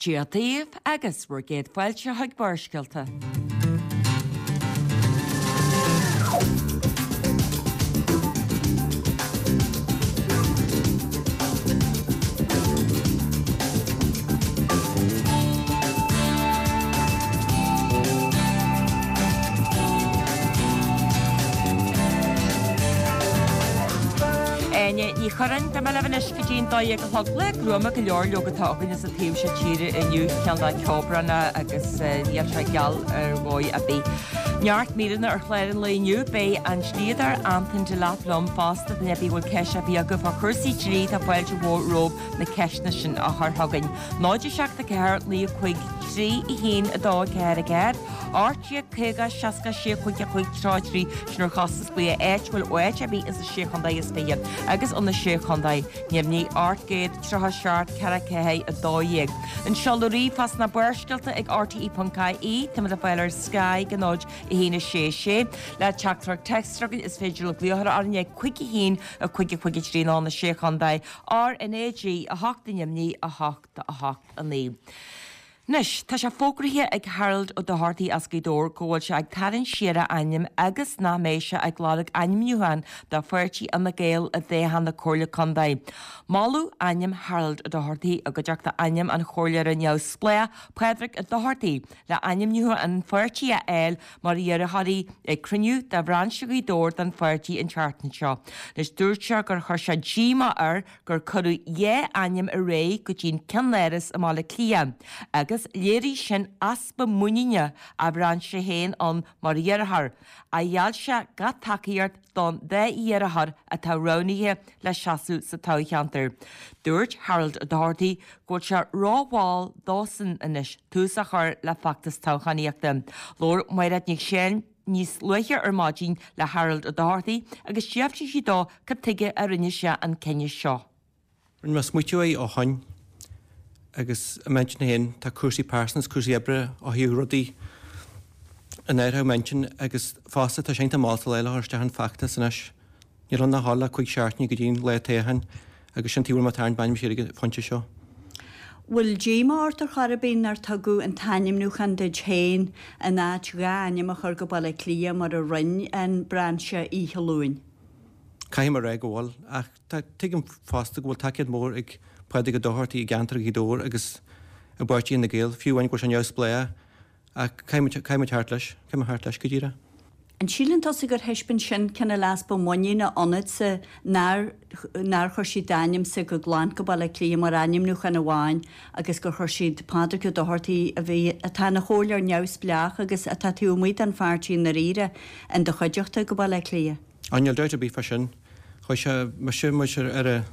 Dia daoibh agus bhur gcéad fáilte chuig Barrscéalta. Áine Ní Churráin, Beidh mé libh anois go dtí an 12 a chlog. Lá gruama go leor leoga atá againn sa taobh seo tíre inniu, cineál de ceobhránach agus níl sé geal ar dhóigh ar bith. Neart míreanna ar chlár an lae inniu. Beidh an dlíodóir Anton Delap liom fosta, duine ar bith a bhfuil ceist ar bith agaibh fá chúrsaí dlí tá fáilte mhór romhaibh na ceisteanna sin a chur chugainn. 0 7 4 9 5 3 1 2 4 4 18 50 66 5 5 3 3 Sin ár gcostas glaoch áitiúil ó áit ar bith ins na Sé Chontae is Fiche agus ó na Sé Chontae Neamhní 837 4 4 12. An seoladh ríomhphost ná Barrscéalta ag rte.ie. Táimid le fáil ar Sky go 0 1 6 6. Le teachtaireacht téacs chugainn is féidir libh glaoch orainn ag 5 1 5 5 3 nó na Sé Chontae RnaG 8 i nDoimní 8 8 9. Anois, tá sé fógraithe ag Harold Ó Dochartaigh as Gaoth Dobhair go bhfuil sé ag tarraingt siar a ainm agus nach mbeidh sé ag lorg ainmniúchán do pháirtí Fhine Gael i dtoghchán na Comhairle Contae. Moladh ainm Harold Ó Dochartaigh i gcuideachta ainm an chomhairleora neamhspleách Pádraig Ó Dochartaigh le ainmniúchán an pháirtí a fháil mar iarrthóirí ag cruinniú de bhrainse Ghaoth Dobhair den pháirtí an tseachtain seo. Anois dúirt sé gur chuir sé díomá air gur cuireadh dhá ainm ar aghaidh go dtí an ceannáras i mBaile Átha Cliath agus léirigh sin easpa muiníne a bhrainse féin ann mar iarrthóir, ach gheall sé gach tacaíocht don dá iarrthóir atá roghnaithe le seasamh sa toghcheantar. Dúirt Harold Ó Dochartaigh go bhfuil sé rómhall dósan anois tús a chur le feachtas toghchánaíochta. Labhair Mairéad Nic Seáin níos luaithe ar maidin le Harold Ó Dochartaigh agus d'fhiafraigh sí dó cad tuige a rinne sé an cinneadh seo. Rinne mé smaoitiú air ó shoin agus i m'intinn féin tá cúrsaí pearsanta is cúrsaí oibre ó thaobh rudaí in áirithe i m'intinn agus fosta tá sé iontach mall sa lá le dhul isteach an feachtas anois. Níl ann ach le 5 seachtainí go dtí an lá toghcháin agus sin tuige a bhfuil mé ag tarraingt m'ainm siar ag an phointe seo. Bhfuil díomá ort ar chor ar bith nár tugadh an t-ainmniúchán duit féin in áit dhá ainm a chur go Baile Átha Cliath mar a rinne an brainse oíche Luain? Caithfidh mé a rá go bhfuil, ach tá, tuigim fosta go bhfuil tacaíocht mhór ag Pádraig Ó Dochartaigh i gceantar Ghaoth Dobhair agus i bpáirtí Fhine Gael, fiú amháin go bhfuil sé neamhspleách. Ach caithfidh muid theacht leis, caithfidh mé theacht leis go díreach. An síleann tusa gur thaispeáin sin cineál easpa muiníne ionatsa nár nár chuir siad d'ainmse go glan go Baile Átha Cliath mar ainmniúchán amháin agus gur chuir siad Pádraig Ó Dochartaigh a bhí, atá ina chomhairleoir neamhspleách agus atá taobh amuigh den pháirtí i ndáiríre, in do chuideachta go Baile Átha Cliath? Á níl dabht ar bith fá sin. Chuir sé mise mise ar a,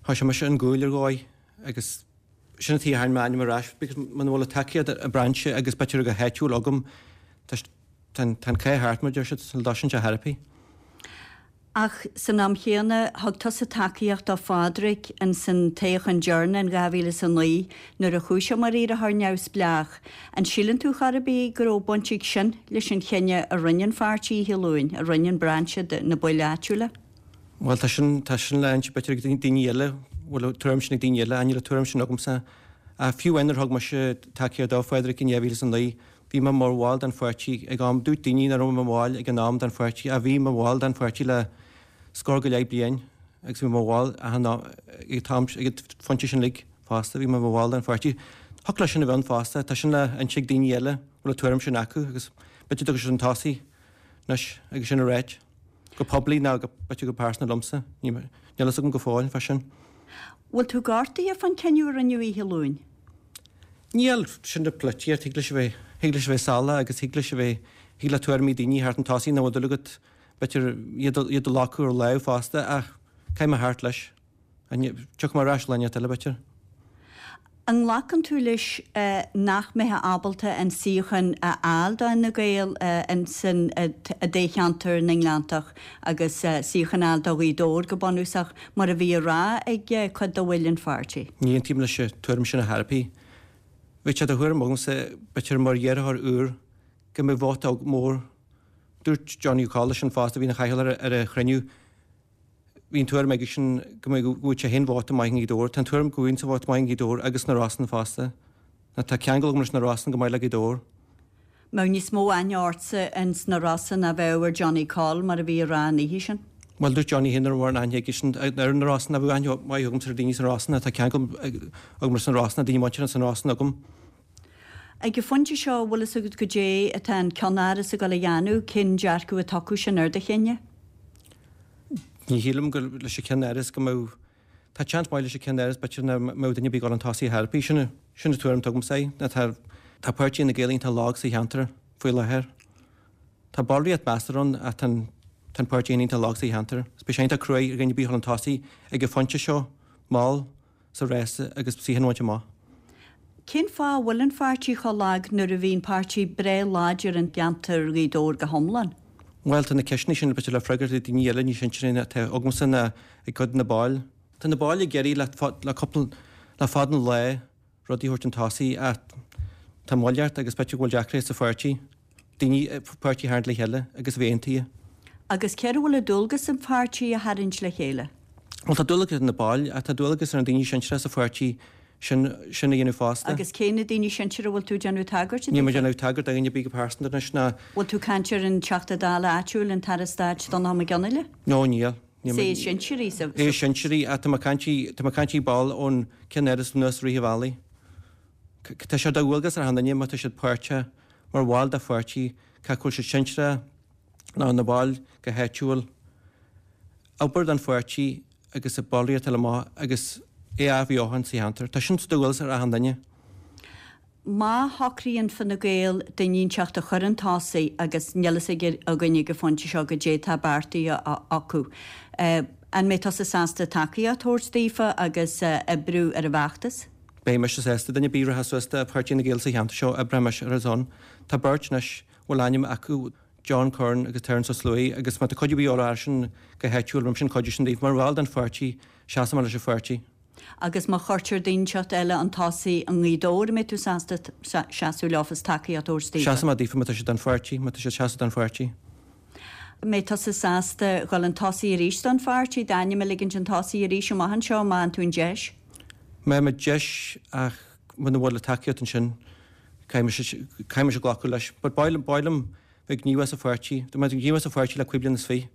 chuir sé mise an guail ar dhóigh agus Sin an tuige a tharraing m'ainm ar ais because muna bhfuil an tacaíocht ag brainse agus b'fhéidir go háitiúil agam tá an cath thart mar a deir siad, sula dtosaíonn sé chor ar bith. Ach san am chéanna thug tusa tacaíocht do Phádraig ins an toghchán deireanach in 2009 nuair a chuaigh sé mar iarrthóir neamhspleách. An síleann tú chor ar bith go raibh baint ag sin leis an chinneadh a rinne an pháirtí oíche Luain, a rinne an brainse de na baill áitiúla? Bhuel, tá sin, tá sin le inse b'fhéidir ag daoine eile, bhfuil an tuairim sin ag daoine eile, níl an tuairim sin agamsa. Ach fiú amháin nuair a thug mise tacaíocht do Phádraig in 2009, bhí mé mar bhall den pháirtí ag am, dúirt daoine nach raibh mé mar bhall ag an am den pháirtí, ach bhí mé mar bhall den pháirtí le scór go leith bliain agus bhí mé mar bhall achan am, ag an t-am, ag an phointe sin uilig fosta, bhí mé mar bhall den pháirtí. Thiocfadh leis sin a bheith ann fosta, tá sin le inse ag daoine eile, bhfuil an tuairim sin acu agus b'fhéidir go dtiocfaidh siad chun tosaigh anois agus sin a ráit. Go poiblí nó go, b'fhéidir go pearsanta liomsa. Níl a fhios agam go fóill fá sin. Bhfuil tú gortaithe fán cinneadh a rinneadh oíche Luain? Níl, sin an pholaitíocht, thig leis a bheith, thig leis a bheith salach agus thig leis a bheith, thig le tuairimí daoine theacht chun tosaigh nach bhfuil dúil agat, b'fhéidir iad, iad a locadh ar láimh fosta ach caithfidh mé theacht leis. Tiocfaidh mé ar ais lá inteacht eile, b'fhéidir. An nglacann tú leis nach mbeifeá ábalta an suíochán a fháil do Fhine Gael insan i dtoghcheantar na nGleanntach agus suíochán a fháil do Ghaoth Dobhair go bunúsach, mar a bhí á rá ag cuid de bhaill an pháirtí? Ní aontaím leis an tuairim sin ar chor ar bith. Bheadh sé de thuairim agamsa, b'fhéidir mar iarrthóir úr, go mbeadh vóta mór. Dúirt Johnny Ó Colla sin fosta, a bhí ina chathaoirleach ar an chruinniú, Bhí an tuairim aigesean go mbeadh, go bhfaigheadh sé féin vóta maith i nGaoth Dobhair. Tá an tuairim go bhfaighinn vóta maith i nGaoth Dobhair agus sna Rosann fosta. Ná tá ceangal agam leis na Rosann go maith le Gaoth Dobhair. Mbeadh níos mó aithne ortsa ins na Rosa ná bheadh ar Johnny Coll mar a bhí a rá an oíche sin? Bhuel, dúirt Johnny féin nach raibh mórán aithne aigesean ar na Rosann, ná bheadh aithne mhaith agamsa ar daoine sna Rosann, tá ceangal agam leis na Rosann, daoine muinteartha sna Rosann agam. Ag an phointe seo, bhfuil fhios agat goidé atá an ceannáras ag dul a dhéanamh, cén dearcadh atá acu sin ar do chinneadh? Ní shílim go leis an ceannáras go mbeadh, tá seans maith leis an ceannáras b'fhéidir nach mbeadh duine ar bith ag dul chun tosaigh ar chor ar bith. Sin, sin an tuairim atá agamsa é, ná tá, tá páirtí Fhine Gael iontach lag sa cheantar faoi láthair. Tá ballraíocht measartha ann ach tá an, tá an páirtí féin iontach lag sa cheantar. Is beidh sé iontach cruaidh ar dhuine ar bith a dhul chun tosaigh ag an phointe seo, mall, sa rása agus suíochán a bhaint amach. Cén fáth a bhfuil an pháirtí chomh lag nuair a bhí an páirtí breá láidir in gceantar Ghaoth Dobhair go hiomlán? Bhuel, tá na ceisteanna sin b'fhéidir le freagairt ag daoine eile níos sinsearaí ná atá agamsa ná ag cuid de na baill. Tá na baill ag iarraidh le cúpla, le fada an lá rudaí a thabhairt chun tosaigh ach tá moill ort agus b'fhéidir go bhfuil deacrachtaí sa pháirtí. daoine páirtí a tharraingt le chéile agus a bheith aontaithe. Agus cé air a bhfuil an dualgas an pháirtí a tharraingt le chéile? Bhuel, tá dualgas ar na baill ach tá dualgas ar na daoine sinsearacha sa pháirtí sin sin a dhéanamh fosta. Agus cé na daoine sinsearacha a bhfuil tú ag déanamh tagairt Níl mé ag déanamh tagairt do dhuine ar bith go pearsanta anois ná. Bhfuil tú ag caint ar an Teachta Dála áitiúil, an tAire Stáit Donnchadh Mac Fhionnghaile? No, níl. Is é is sinsearaí sa. É is sinsearaí ach tá mé ag caint, tá mé ag caint ball ón ceannáras anuas rith an bhealaigh. Tá sé de dhualgas ar achan duine má tá siad páirteach mar bhall de pháirtí, cé acu bhfuil siad sinsearach nó ina bhaill go háitiúil, obair don pháirtí agus a ballraíocht a fháil amach agus é a athbheochan sa cheantar. Tá sin de dhualgas ar achan duine. Má shocraíonn Fine Gael duine inteacht a chur chun tosaigh agus níl fhios againn ag an phointe seo goidé atá beartaithe acu, an mbeidh tusa sásta tacaíocht a thabhairt daofa agus oibriú ar an bhfeachtas? Beidh mise sásta duine ar bith a rachas suas do Pháirtí Fhine Gael sa cheantar seo, oibreoidh mise ar a son. Tá beirt anois a bhfuil ainm acu, John Curran agus Terence Ó Sluaighe, agus má tá cuidiú ar bith orthu airsean go háitiúil, beidh mise chun cuidiú sin daofa. Mar bhall den pháirtí, seasfaidh mé leis an pháirtí. Agus má chuirtear duine inteacht eile chun tosaigh i nGaoth Dobhair, an mbeidh tú sásta seasamh leofa is tacaíocht a thabhairt daofa? Seasfaidh mé daofa má tá siad don pháirtí, má tá siad seasamh don pháirtí. An mbeidh tusa sásta dhul chun tosaigh arís don pháirtí, d'ainm a ligint chun tosaigh arís amach anseo má fhaigheann tú an deis? Má fhaighim an deis ach muna bhfuil an tacaíocht ansin, caithfidh mise glacadh leis. But ba mhaith liom bheith gníomhach sa pháirtí. Tá mé gníomhach sa pháirtí le cúig bliana is fiche.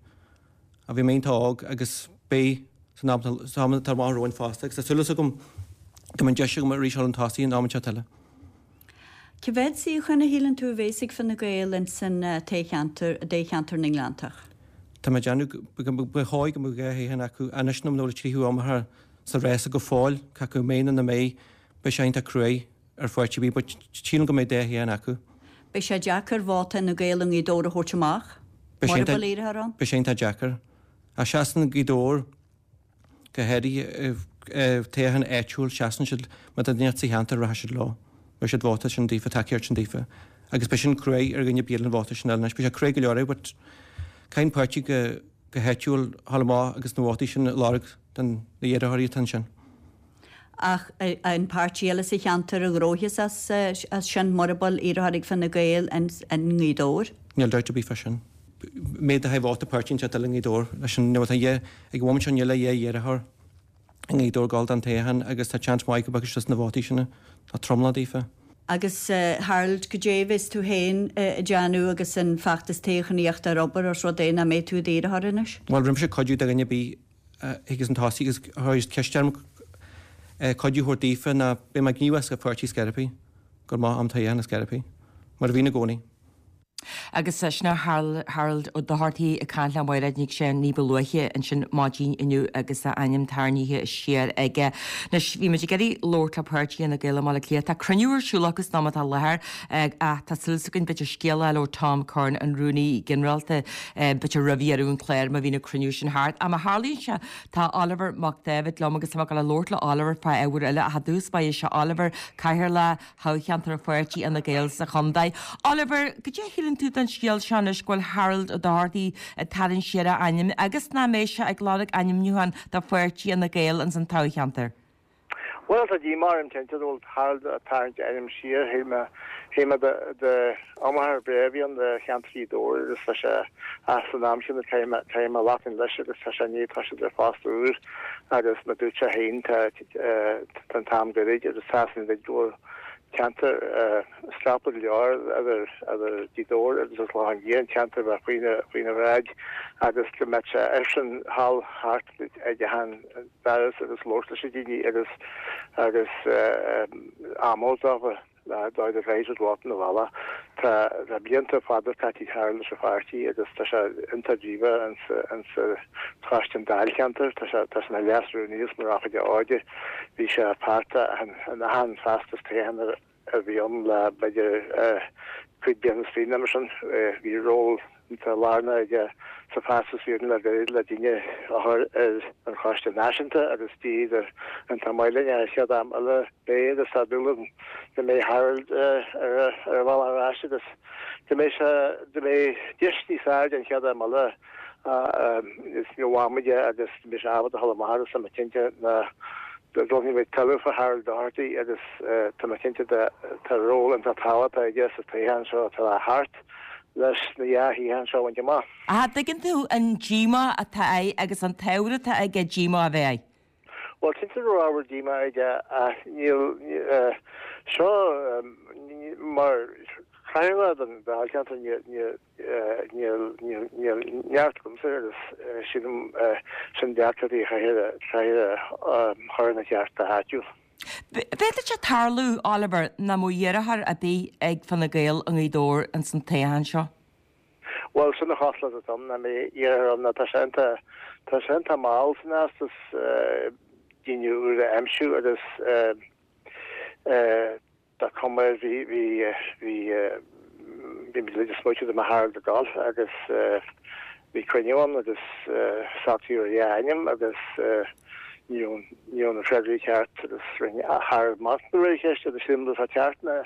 Ach bhí mé iontach óg agus beidh san am atá amach romhainn fosta agus tá súil agam go mbeidh an deis agam arís dhul chun tosaigh an am seo eile. Cé mhéad suíochán a shíleann tú a bhéas ag Fine Gael ins an toghcheantar, i dtoghcheantar na nGleanntach? Tá mé ag déanamh ba chóir go mbeadh dhá shuíochán acu anois nó muna bhfuil an tríú iomaitheoir sa rása go fóill, cé acu mbeidh nó nach mbeidh, beidh sé iontach cruaidh ar pháirtí ar bith but sílim go mbeidh dhá shuíochán acu. Beidh sé deacair vóta Fhine Gael i nGaoth Dobhair a thabhairt amach, mura bhfuil iarrthóir ann. Beidh sé iontach deacair. Ach seasann Gaoth Dobhair go háirithe toghchán áitiúil, seasann siad, má tá duine sa cheantar rachaidh siad leo, beidh siad vóta sin daofa, tacaíocht sin daofa. Agus beidh sin cruaidh ar dhuine ar bith eile an vóta sin a fháil anois. Beidh sé cruaidh go leor air but caithfidh an páirtí go go háitiúil a dhul amach agus na vótaí sin a lorg don na iarrthóirí atá ansin. Ach an páirtí eile sa cheantar a ghnóthós as sin mura bhfuil iarrthóir ag Fine Gael i nGaoth Dobhair? Níl dabht ar bith fá sin. Méid a haghaidh vóta páirtí anseo eile i nGaoth Dobhair leis an nó tá dhá ag an bhomaite seo níl ach dhá iarrthóir i nGaoth Dobhair ag gabháil don toghchán agus tá seans maith go bhfaighidh siad na vótaí sin tá tromlach daofa. Agus Harold, goidé a bheas tú féin ag déanamh agus an feachtas toghchánaíochta ar obair os rud é nach mbeidh tú i d'iarrthóir anois? Bhuel, beidh mise ag cuidiú do dhuine ar bith a thigeas chun tosaigh agus chuir ceist orm cuidiú a thabhairt daofa ná beidh mé gníomhach sa pháirtí scor ar bith, go maith am toghchán scor ar bith, mar a bhíonn i gcónaí. Agus sin é Harold Ó Dochartaigh ag caint le Máiréad Nic Seáin ní ba luaithe ansin maidin inniu agus a ainm tarraingthe siar aige. Anois, bhí muid ag iarraidh labhairt le páirtí Fhine Gael i mBaile Átha Cliath. Tá cruinniú ar siúl acu san am atá i láthair ach tá súil againn b'fhéidir scéal a fháil ó Tom Curran, an Rúnaí Ginearálta, b'fhéidir roimh dheireadh an chláir má bhíonn an cruinniú sin thart. Ach má tharlaíonn sé, tá Oliver Mac Dáibhid liom agus tá mé ag dul a labhairt le Oliver fá ábhar eile ach i dtús báire seo Oliver, Cathaoirleach thoghcheantar pháirtí Fhine Gael sa chontae. Oliver, goidé a shíleann tú den scéal seo anois go bhfuil Harold Ó Dochartaigh ag tarraingt siar a ainm agus nach mbeidh sé ag lorg ainmniúchán do pháirtí Fhine Gael ins an toghcheantar? Bhuel, tá díomá orm cinnte go bhfuil Harold ag tarraingt a ainm siar. Shíl mé, shíl mé d'iomaitheoir breá a bhí ann do cheantar Ghaoth Dobhair agus tá sé ach san am chéanna caithfidh mé, caithfidh mé leasaint leis agus tá sé i ndiaidh toiseacht ar phost úr agus mar dúirt sé féin tá, tá an t-am gairid agus tá san go bhfuil. Ceantar scaipthe go leor idir Gaoth Dobhair agus an Clochán Liath, an ceantar a bheadh faoina bhráid agus go mbeadh sé eisean thall thart ag achan doras agus labhairt leis na daoine agus agus am a thabhairt dófa le dóigh go gcaithfidh siad vóta na bhealach. Tá tá blianta fada caite ag Harold leis an pháirtí agus tá sé iontach gníomhach insa choiste an dáilcheantair. Tá sé tá sé ina leas-rúnaí agus mar rannchuideoir óige. Bhí sé páirteach in achan feachtas toghcháin a bhí ann le b'fhéidir 15 bliana is fiche nó mar sin. Bhí ról iontach lárnach aige sa feachtas a bhí againn le gairid le daoine a chur ar an choiste náisiúnta agus d'éirigh iontach maith linn an chéad am eile b'é agus tá dúil agam go mbeidh Harold ar a bhealach ar ais agus go mbeidh sé go mbeidh deis níos fearr aige an chéad am eile is ní bhfaighidh muid é agus mbeidh sé ábalta a dhul amach agus tá mé cinnte ná go bhfaighidh muid tuilleadh fá Harold Doherty agus tá mé cinnte de tá ról iontach tábhachtach aige sa toghchán seo atá le theacht leis na dhá shuíochán seo a bhaint amach. Ach dtuigeann tú an díomá atá air agus an t-ábhar atá aige díomá a bheith air? Bhuel, cinnte go raibh ábhar díomá aige ach níl seo mar chathaoirleach den dáilcheantar níl Níl neart agamsa agus sílim sin deacrachtaí a chaithfear a chur ina cheart go háitiúil. B'fhéidir sé tarlú, Oliver, nach mbeadh iarrthóir ar bith ag Fine Gael i nGaoth Dobhair ins an toghchán seo. Bhuel, sin an chosúlacht atá ann, nach mbeidh iarrthóir ann, tá sé iontach, tá sé iontach mall san fheachtas daoine úra a aimsiú agus Tá cuma air, bhí, bhí, bhí, bhí muid uilig ag smaoitiú dá mbeadh Harold ag dul agus bhí cruinniú ann agus socraíodh ar dhá ainm agus ní raibh, ní raibh na freagraí ceart agus rinne Harold machnamh ar an cheist agus sílim go raibh sé ceart ná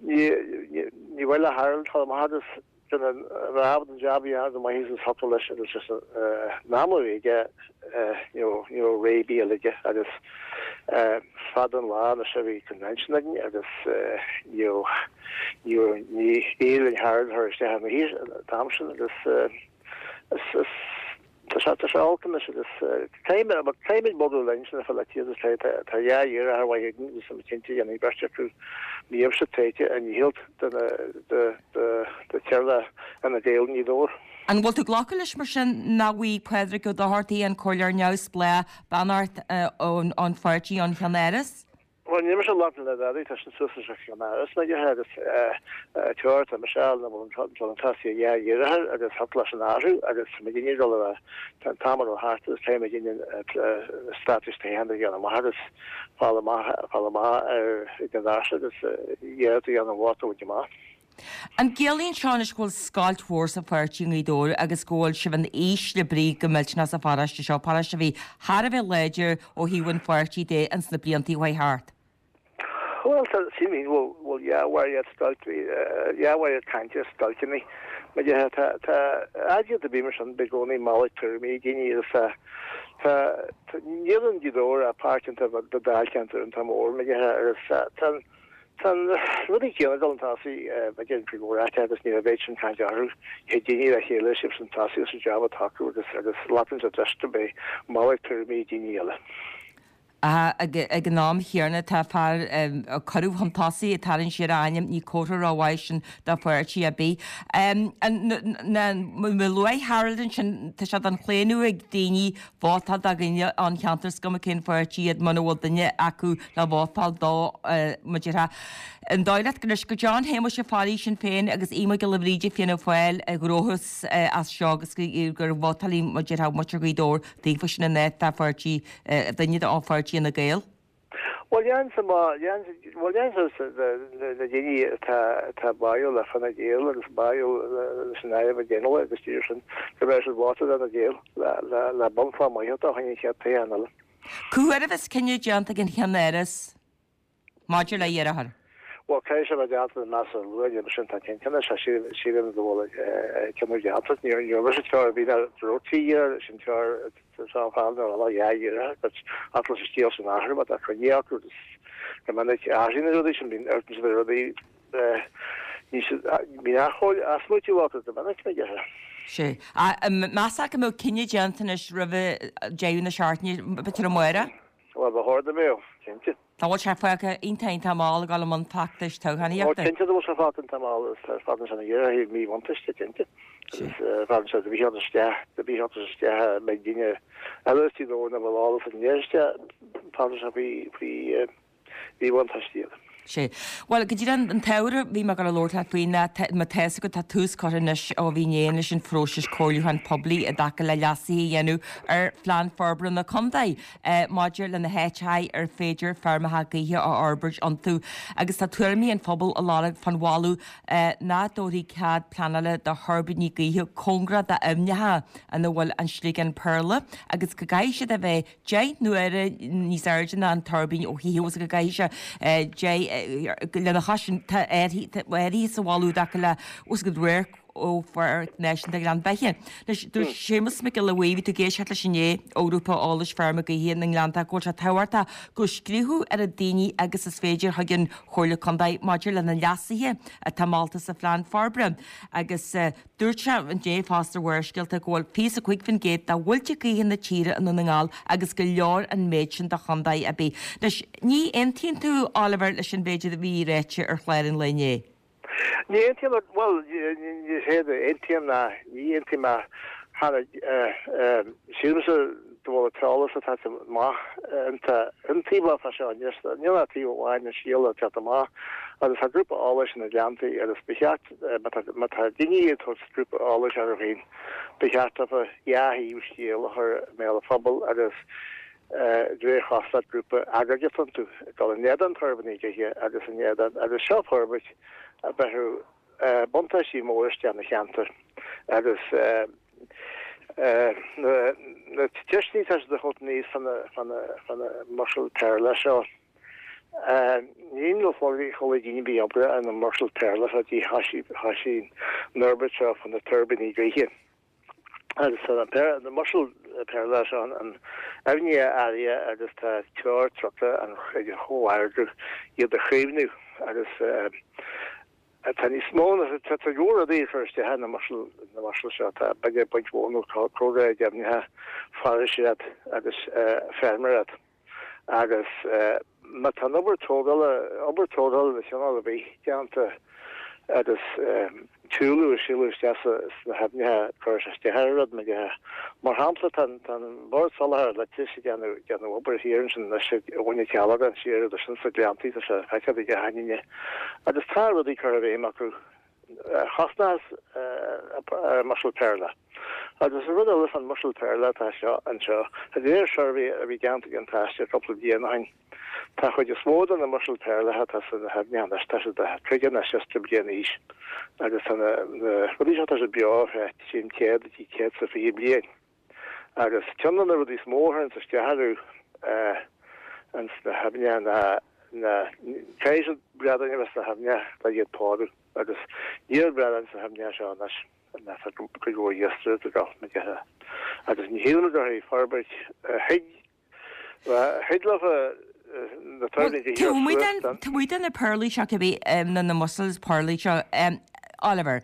ní, ní, ní mhaith le Harold dul amach agus Duine a bheith ábalta an jab a dhéanamh go maith agus thiocfadh leis agus leis an am a bhí aige ní raibh ní raibh rogha ar bith eile aige agus fada an lá anois a bhí convention againn agus ní raibh ní raibh ní éirigh linn Harold a chur isteach ina shuí an t-am sin agus is is Tá sé tá sé olc anois agus caithfidh caithfimid bogadh linn sin a fáil agus tá tá tá dhá iarrthóir mhaith againn agus tá mé cinnte dhéanfaidh beirt acu ní raibh siad tréite a ndícheall do na do do do teaghlach Fhine Gael i nGaoth Dobhair. An bhfuil tú ag glacadh leis mar sin nach bhfaighidh Pádraig Ó Dochartaigh, an Comhairleoir Neamhspleách, beannacht ón ón pháirtí ón Cheann-Áras? Bhuel, níl mise ag labhairt le dadaí, tá sin suas leis an Cheann-Áras na dtithe agus teora tá mise ann a bhfuil an dul tosaigh a dhá dheartháir agus thug leis an athrú agus tá muid ag dul a bheith, tá an t-am ag dul thart agus caithfidh muid an straitéis toghcháin a dhéanamh amach agus fáil amach, fáil amach ar ag an doras agus iarracht a dhéanamh an vóta a bhaint amach. An gciallaíonn seo anois go bhfuil scoilt mhór sa pháirtí i nGaoth Dobhair agus go bhfuil sibh in ísle brí go millteanach sa pharóiste seo, paróiste a bhí thar a bheith láidir ó thaobh an pháirtí de ins na blianta a chuaigh thart? Bhuel, tá, sílim go bhfuil dhea mhairead scoilt, dhea mhairead cainte scoilteanna. Mar dhea, tá, tá, áit ar bith mar sin, beidh i gcónaí malairt tuairimí ag daoine agus tá, tá, tá, níl in Gaoth Dobhair ach páirt iontach beag de dáilcheantar iontach mór, mar dhea, agus tá, tá an, Tá na rudaí céanna ag dul chun tosaigh, b'fhéidir, in cuid mhór áiteacha agus ní raibh an mhéid sin cainte orthu. Thig daoine le chéile siad chun tosaigh agus an jab atá acu agus agus glacann siad leis go mbeidh malairt tuairimí ag daoine eile. Ag an am chéanna tá fear a cuireadh chun tosaigh ag tarraingt siar a ainm, ní comhartha rómhaith sin do pháirtí ar bith. Luaigh Harold ansin, tá sé den chlaonadh ag daoine vótáil do dhaoine ón cheantar, is cuma cén pháirtí iad, muna bhfuil duine acu le vótáil dó, mar a déarfá. An dóigh leat anois go John Shéamuis Ó Fearraigh, Sinn Féin, agus Aodh Mac Giolla Bhríde, Fianna Fáil, a ghnóthós as seo agus gur vótálfaidh, mar a déarfá, muintir Ghaoth Dobhair daofa sin in áit dá pháirtí, duine ó pháirtí Fhine Gael? Bhuel, déarfainnse má, bhuel, déarfainnse na daoine atá, atá báúil le Fine Gael agus báúil leis an Aire McGinley agus díreach sin, go mbeidh siad vóta d'Fhine Gael le, le, le bunchloch maith a fháil an chéad toghchán eile. Cá huair a bheas cinneadh déanta ag an Cheann-Áras maidir le iarrthóir? Bhuel, caithfidh sé a bheith déanta measartha luath, níl sin tá cinnte anois, sílim go bhfuil cinneadh déanta. Ní raibh mise tráth ar bith ná go raibh trí iarrthóir, sin tráth tá an fear nó an dhá iarrthóir, but ach leis an scéal sin a athrú, má tá coinne acu agus go minic athraíonn na rudaí sin, bíonn oiread sin rudaí bíonn acomhail asmaoitiú acu go minic, na gceithre. Sea. Measfá go mbeadh cinneadh déanta anois roimh deireadh na seachtaine, b'fhéidir amárach? Bhuel, ba chóir go mbeadh, cinnte. Tá bhfuil sé fágtha iontach iontach mall ag dul i mbun feachtais toghchánaíochta. Ó cinnte tá bhfuil sé fágtha iontach mall agus fágann sé na ghéar thaobh míbhuntáiste cinnte. Agus fágann sé do bhí isteach do bhí isteach mbeidh duine eile istigh nó ina bhfuil eolas an isteach fágann sé faoi faoi mhíbhuntáiste iad. Sea. Bhuel, go díreach an t-ábhar a bhí mé ag dul a labhairt leat faoi ná má tá fhios agat tá tús curtha anois ó bhí inné leis an phróiseas comhairliúcháin poiblí i dtaca le leasuithe a dhéanamh ar Phlean Forbartha na Contae maidir le na háiteacha ar féidir feirmeacha gaoithe a fhorbairt iontu agus tá tuairimí an phobail á lorg fán mholadh nach dtabharfaí cead pleanála do thuirbíní gaoithe cóngarach d'aibhneacha ina bhfuil an sliogán péarla agus go gcaithfidh siad a bheith 10 n-uaire níos airde ná an tuirbín ó thaobh agus go gcaithfidh sé 10 lena chois sin tá áirithe sa mholadh i dtaca le os go radharc ó Pháirc Náisiúnta Ghleann Bheithe. Anois, dúirt Séamus Mac Giolla Bhuí, bhí tú ag éisteacht leis inné ó Ghrúpa Eolais Feirme Gaoithe na nGleannta go bhfuil sé tábhachtach go scríobhadh oiread daoine agus is féidir chuig an Chomhairle Contae maidir le na leasuithe atá molta sa phlean forbartha agus Dúirt sé inné fosta ar Bharrscéalta go bhfuil 25% de mhuilte gaoithe na tíre i nDún na nGall agus gur leor an méid sin do chontae ar bith. Anois, ní aontaíonn tú, Oliver, leis an mhéid a bhí ráite ar chlár an lae inné? Ní aontaím, bhuel, ní hé aontaím ná ní aontaím ach cheana. Sílimse go bhfuil an t-eolas atá amach iontaofa fá seo anois. Níl ach taobh amháin den scéal ag teacht amach agus tá grúpa eolais na Gleanntaí agus ba cheart Má tá daoine ag tabhairt grúpa eolais orthu féin, ba cheart dófa dhá thaobh scéil a chur i mbéal an phobail agus de réir chosúlacht grúpa agóideach iontu, ag dul in éadan tuirbíní gaoithe agus in éadan agus seo forbairt a bhéarfadh buntáistí móra isteach na cheantar agus na ceisteanna atá siad a thabhairt aníos fá na mussel péarla seo. Ní le chuile dhuine bhí obair ar na mussel péarla seo dtí thoisigh an fhorbairt seo fá na tuirbíní gaoithe. Agus tá na mussel péarla seo an aibhne áirithe agus tá treoir tugtha ag an chomhargadh iad a chaomhnú agus tá níos mó ná tá go leor rudaí ag cur isteach ar na mussel na mussel seo tá b'fhéidir baint mhór nó cóngaraí d'aibhneacha foraoiseacht agus feirmeoireacht. Agus má tá an obair tógála, obair tógála de chineál ar bith déanta agus truailliú ag sileadh isteach sna haibhneacha, cuireann sé isteach ar an rud, mar dhea. Mar shampla, tá an Bord Soláthair Leictreachais ag déanamh, déanamh obair thiar ansin anois ag Abhainn an Cheallacáin siar agus sin sna Gleanntaí, tá sé feicthe ag achan duine. Agus tá rudaí curtha i bhfeidhm acu. chosnós ar an mussel péarla. Agus an rud eile fán mussel péarla atá seo anseo, de réir suirbhé a bhí déanta ag an Taisce cúpla bliain ó shin, tá chuid is mó de na mussel péarlacha atá sna haibhneacha anois, tá siad 50 nó 60 bliain d'aois agus tá na rudaí seo, tá siad beo ar feadh 100 go dtí 120 bliain. Agus ceann de na rudaí is mó a chuireanns isteach orthu ins na haibhneacha ná na caithfidh siad bradáin a bheith sna haibhneacha le iad pórú agus níl bradáin sna haibhneacha seo anois ná tá cuid mhór iascaireacht ag dul mar déarfá agus ní shílim go raibh forbairt thig Thig leofa na tuirbíní gaoithe a suas den. Taobh amuigh de na péarlaí seo cibé, nó na mussels péarlaí seo, Oliver,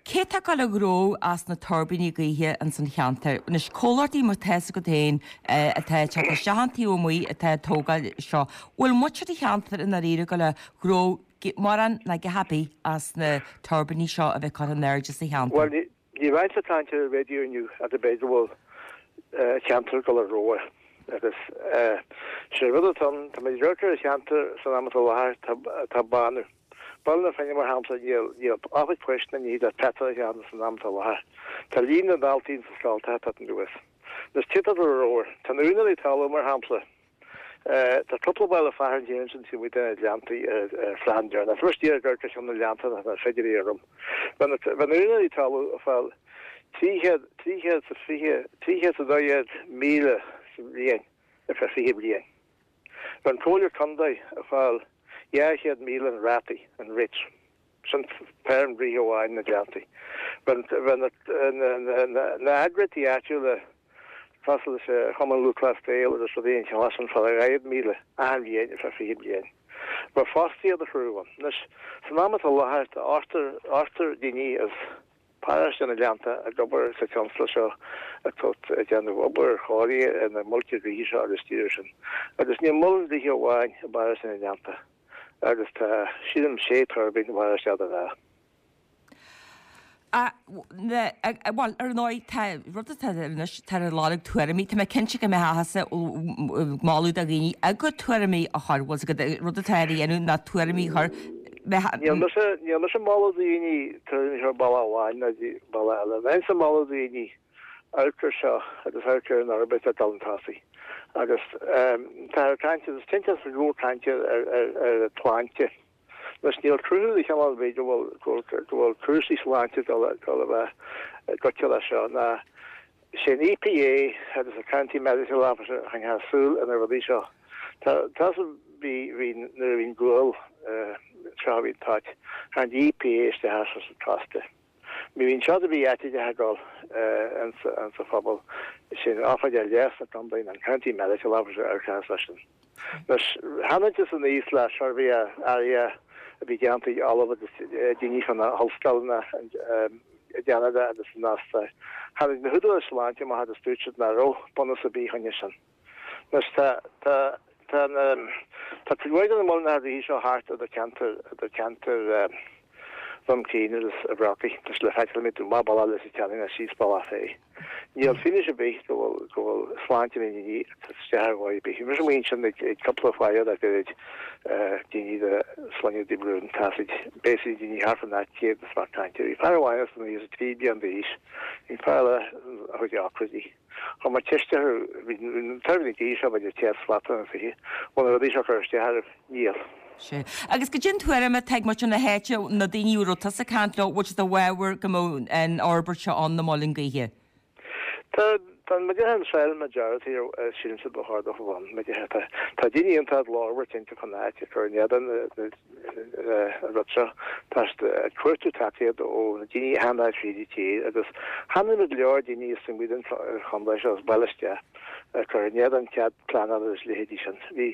cé atá ag dul a ghnóthú as na tuirbíní gaoithe ins an cheantar? Anois, comhlachtaí mar tá fhios agat féin atá ag teacht isteach ón taobh amuigh atá ag tógáil seo, bhfuil muintir an cheantair i ndáiríre ag dul a ghnóthú mórán ná a dhath ar bith as na tuirbíní seo a bheith curtha in airde sa cheantar? Bhuel, Ní raibh ag caint ar an raidió inniu ach b'fhéidir go bhfuil an ceantar ag dul a rogha agus sé rud atá ann, tá muid ag amharc ar an cheantar san am atá i láthair, tá bánú. Baile na Finne mar shampla, níl níl oifig poist ná ní le petrol a cheannach san am atá i láthair. Tá líon na ndaltaí ins na scoltacha ag teacht anuas. Anois cé atá ag dul a rogha? Tá na úinéirí talún mar shampla. Tá cúpla baile fearainn thiar ansin taobh amuigh de na Gleanntaí ar phlean deireanach. Tá mise díreach ag amharc ar cheann de na Gleannta nach nach féidir é orm. Bheadh na bheadh na úinéirí talún ag fáil 300, 320, 312,000 sa bhliain ar feadh 20 bliain. Bheadh an Comhairle Contae ag fáil 200,000 an rátaí, an rates. Sin feirm gaoithe amháin na Gleanntaí. Bheadh na heagraíochtaí áitiúla cosúil leis an Chumann Lúthchleas Gael agus rudaí den chineál sin ag fáil 40,000 achan bhliain ar feadh 20 bliain. Bheadh fostaíocht á chruthú ann. Anois, san am atá i láthair tá ochtar daoine as. Paróiste na nGleannta ag obair sa tionscal seo atá ag déanamh obair chóirithe ar na muilte gaoithe seo agus díreach sin. Agus níl muileann gaoithe amháin i bParóiste na nGleannta agus tá, sílim, sé tuirbín i bParóiste Ard an Rátha. Bhuel, ar ndóigh, tá rud atá anois, tá ar lorg tuairimí. Tá mé cinnte go mbeadh tusa ag moladh do dhaoine a gcuid tuairimí a chur, bhfuil 's agat, rud atá ar a dhéanamh ná tuairimí a chur. Níl mise, níl mise ag moladh daoine tuairimí a chur bealach amháin ná bealach eile. Bheinnse ag moladh daoine amharc ar seo agus amharc ar an fhorbairt ag dul chun tosaigh. Agus tá ar caint, agus cinnte is go leor cainte ar ar an tsláinte. Anois níl cruthú de chineál ar bith go bhfuil go bhfuil cúrsaí sláinte ag dul dul a bheith goite leis seo ná sé an EPA agus an County Medical Officer a choinneodh súil ar na rudaí seo. Tá tá bhí bhí nuair a bhí an gual seo a bhí an toit, tháinig an EPA isteach as an costas. Ní bhíonn seod ar bith áite de ag dul insa phobal sin Oifigeach Leighis na Contae ná an County Medical Officer ar chás leis sin. Anois, tháinig san aníos le suirbhé áirithe a bhí déanta ag ollamh agus daoine chun na hollscoileanna i gCeanada agus san Astráil. Tháinig na húdaráis sláinte amach agus dúirt siad nach raibh bunús ar bith choinne sin. Anois tá, tá, tá na, tá cuid mhaith de na muileannacha gaoithe seo thart idir ceantar, idir ceantar Dhún Chaoin agus an Bhrocaigh. Tá sé le feiceáil an mbeidh tú amach bealach Leitir Ceanainn ná síos bealach fé. Níl fianaise ar bith go bhfuil, go bhfuil sláinte na ndaoine ag cur isteach ar dhóigh ar bith. Bhí mise amuigh ansin ag, ag cúpla faire le gairid, daoine de shloinne de Brún, tá siad, basically daoine thart fán áit chéanna is fear cainte. Bhí fear amháin as an 93 bliain d'aois, bhí fear eile a chuid ocraidí. Chuir mé ceist orthu, bhí na tuirbíní gaoithe seo b'fhéidir 100 slat nó 20, bhfuil na rudaí seo ag cur isteach oraibh? Níl. Sea. Agus goidé an tuairim atá ag muintir na háite, na daoine a raibh tusa ag caint leo, bhfuil siad i bhfabhar go mbeadh an fhorbairt seo ann, na muileann gaoithe? Tá, tá an muideatha an silent majority sílimse ba chóir dóibh a bheith ann, muideatha. Tá, tá daoine iontach glórmhar cinnte fán áit ag cur in éadan na, an rud seo. Tá siad ag cuartú tacaíocht ó na daoine a tháinig tríd an tír agus tháinig go leor daoine as amuigh den chontae seo as baile isteach ag cur in éadan cead pleanála agus leithéidí sin. Bhí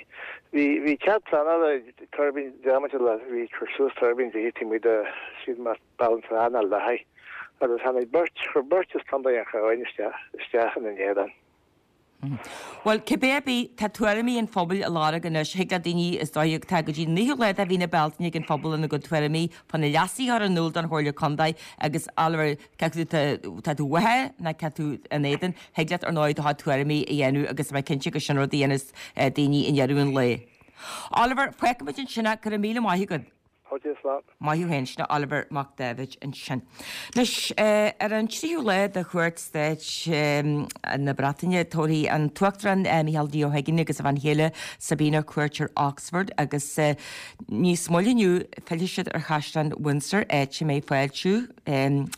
bhí bhí cead pleanála ag tuirbín diamaint le bhí cur suas tuirbín gaoithe taobh amuigh de siad mar Béal an Trá ná Leathaigh agus tháinig beirt chuir beirt as Contae an Chabháin isteach isteach ina n-éadan. Bhuel, cibé ar bith, tá tuairimí an phobail á lorg anois. Thig le daoine, is dóigh, tá go dtí an 9ú lá de mhí na Bealtaine ag an phobal lena gcuid tuairimí fá na leasuithe a chur in iúl don Chomhairle Contae agus Oliver, cé acu tá tú uathu nó cé tú in éadan, thig leat ar ndóigh do chuid tuairimí a dhéanamh agus tá mé cinnte gur sin rud a dhéanfas daoine i ndeireadh an lae. Oliver, fágfaimid ansin é, go raibh míle maith agat. Fáilte, slán. Maith thú féin, sin Oliver Mac Dáibhid ansin. Anois, ar an tríú lá de chuairt stáit na Breataine, tabharfaidh an tUachtarán Micheál D. Ó hUiginn agus a bhean chéile Sabina cuairt ar Oxford agus níos moille inniu fillfidh siad ar Chaisleán Windsor, áit a mbeidh fáiltiú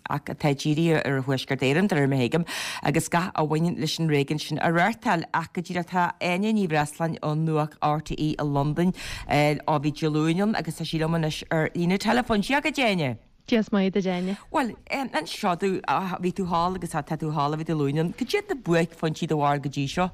ach atá dírithe ar Thuaisceart Éireann, de réir mar a thuigim, agus gach a bhaineann leis an réigiún sin á reáchtáil. Ach go díreach tá Áine Ní Bhreisleáin ó Nuacht RTÉ i Londain ó bhí Dé Luain ann agus tá sí liom anois ar líne teileafóin. Dia dhuit, Áine. Dia is Muire duit, Áine. Bhuel, inis domh, bhí tú thall agus tá tú thall ó bhí Dé Luain ann. Cad iad na buaicphointí do bharúil go dtí seo?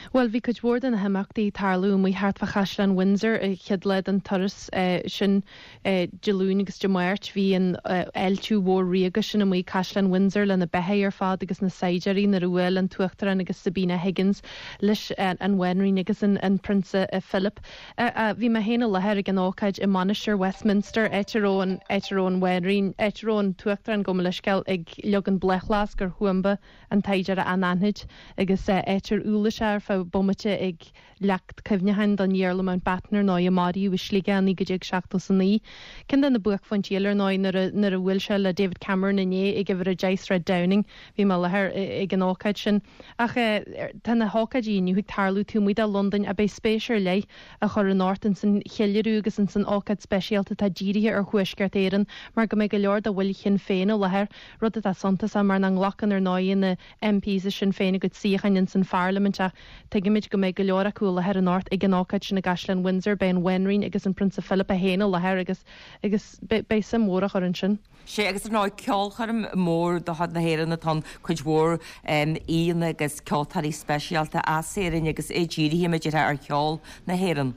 Bhuel, bhí cuid mhór de na himeachtaí ag tarlú amuigh thart fá Chaisleán Windsor an chéad lá den turas sin, Dé Luain agus Dé Máirt. Bhí an fháiltiú mhór ríoga sin amuigh ag Caisleán Windsor le na beithígh ar fad agus na saighdiúirí nuair a bhuail an tUachtarán agus Sabina Higgins leis an Bhanríon agus an Prionsa Philip. Bhí mé féin i láthair ag an ócáid i Mainistir Westminster, áit a raibh an, áit a raibh an Bhanríon, áit a raibh an tUachtarán, gabh mo leithscéal, ag leagan bláthfhleasc ar thuamba an tsaighdiúra anaithnid agus áit ar umhlaigh sé ar feadh bomaite ag leacht cuimhneacháin don Iarla Mountbatten ar ndóigh a maraíodh i Sligeach i 1979. Ceann de na buaicphointí eile ar ndóigh nuair a nuair a bhuail sé le David Cameron inné ag uimhir 10 Sráid Downing. Bhí mé i láthair ag an ócáid sin. Ach tá na hócáidí inniu ag tarlú taobh amuigh de Londain ach beidh spéis ar leith á chur anocht ins an cheiliúradh agus ins an ócáid speisialta atá dírithe ar Thuaisceart Éireann mar go mbeidh go leor de bhaill Shinn Féin i láthair rud atá suntasach mar nach nglacann ar ndóigh na MPs i Sinn Féin a gcuid suíocháin ins an pharlaimint ach tuigimid go mbeidh go leor acu i láthair anocht ag an ócáid sin i gCaisleán Windsor. Beidh an Bhanríon agus an Prionsa Philip é féin i láthair agus agus beidh suim mhór á chur ansin. Sea, agus ar ndóigh ceolchoirm mór de chuid na hÉireann atá ann, cuid mhór aíonna agus ceoltóirí speisialta as Éirinn agus é dírithe, mar a déarfá, ar cheol na hÉireann.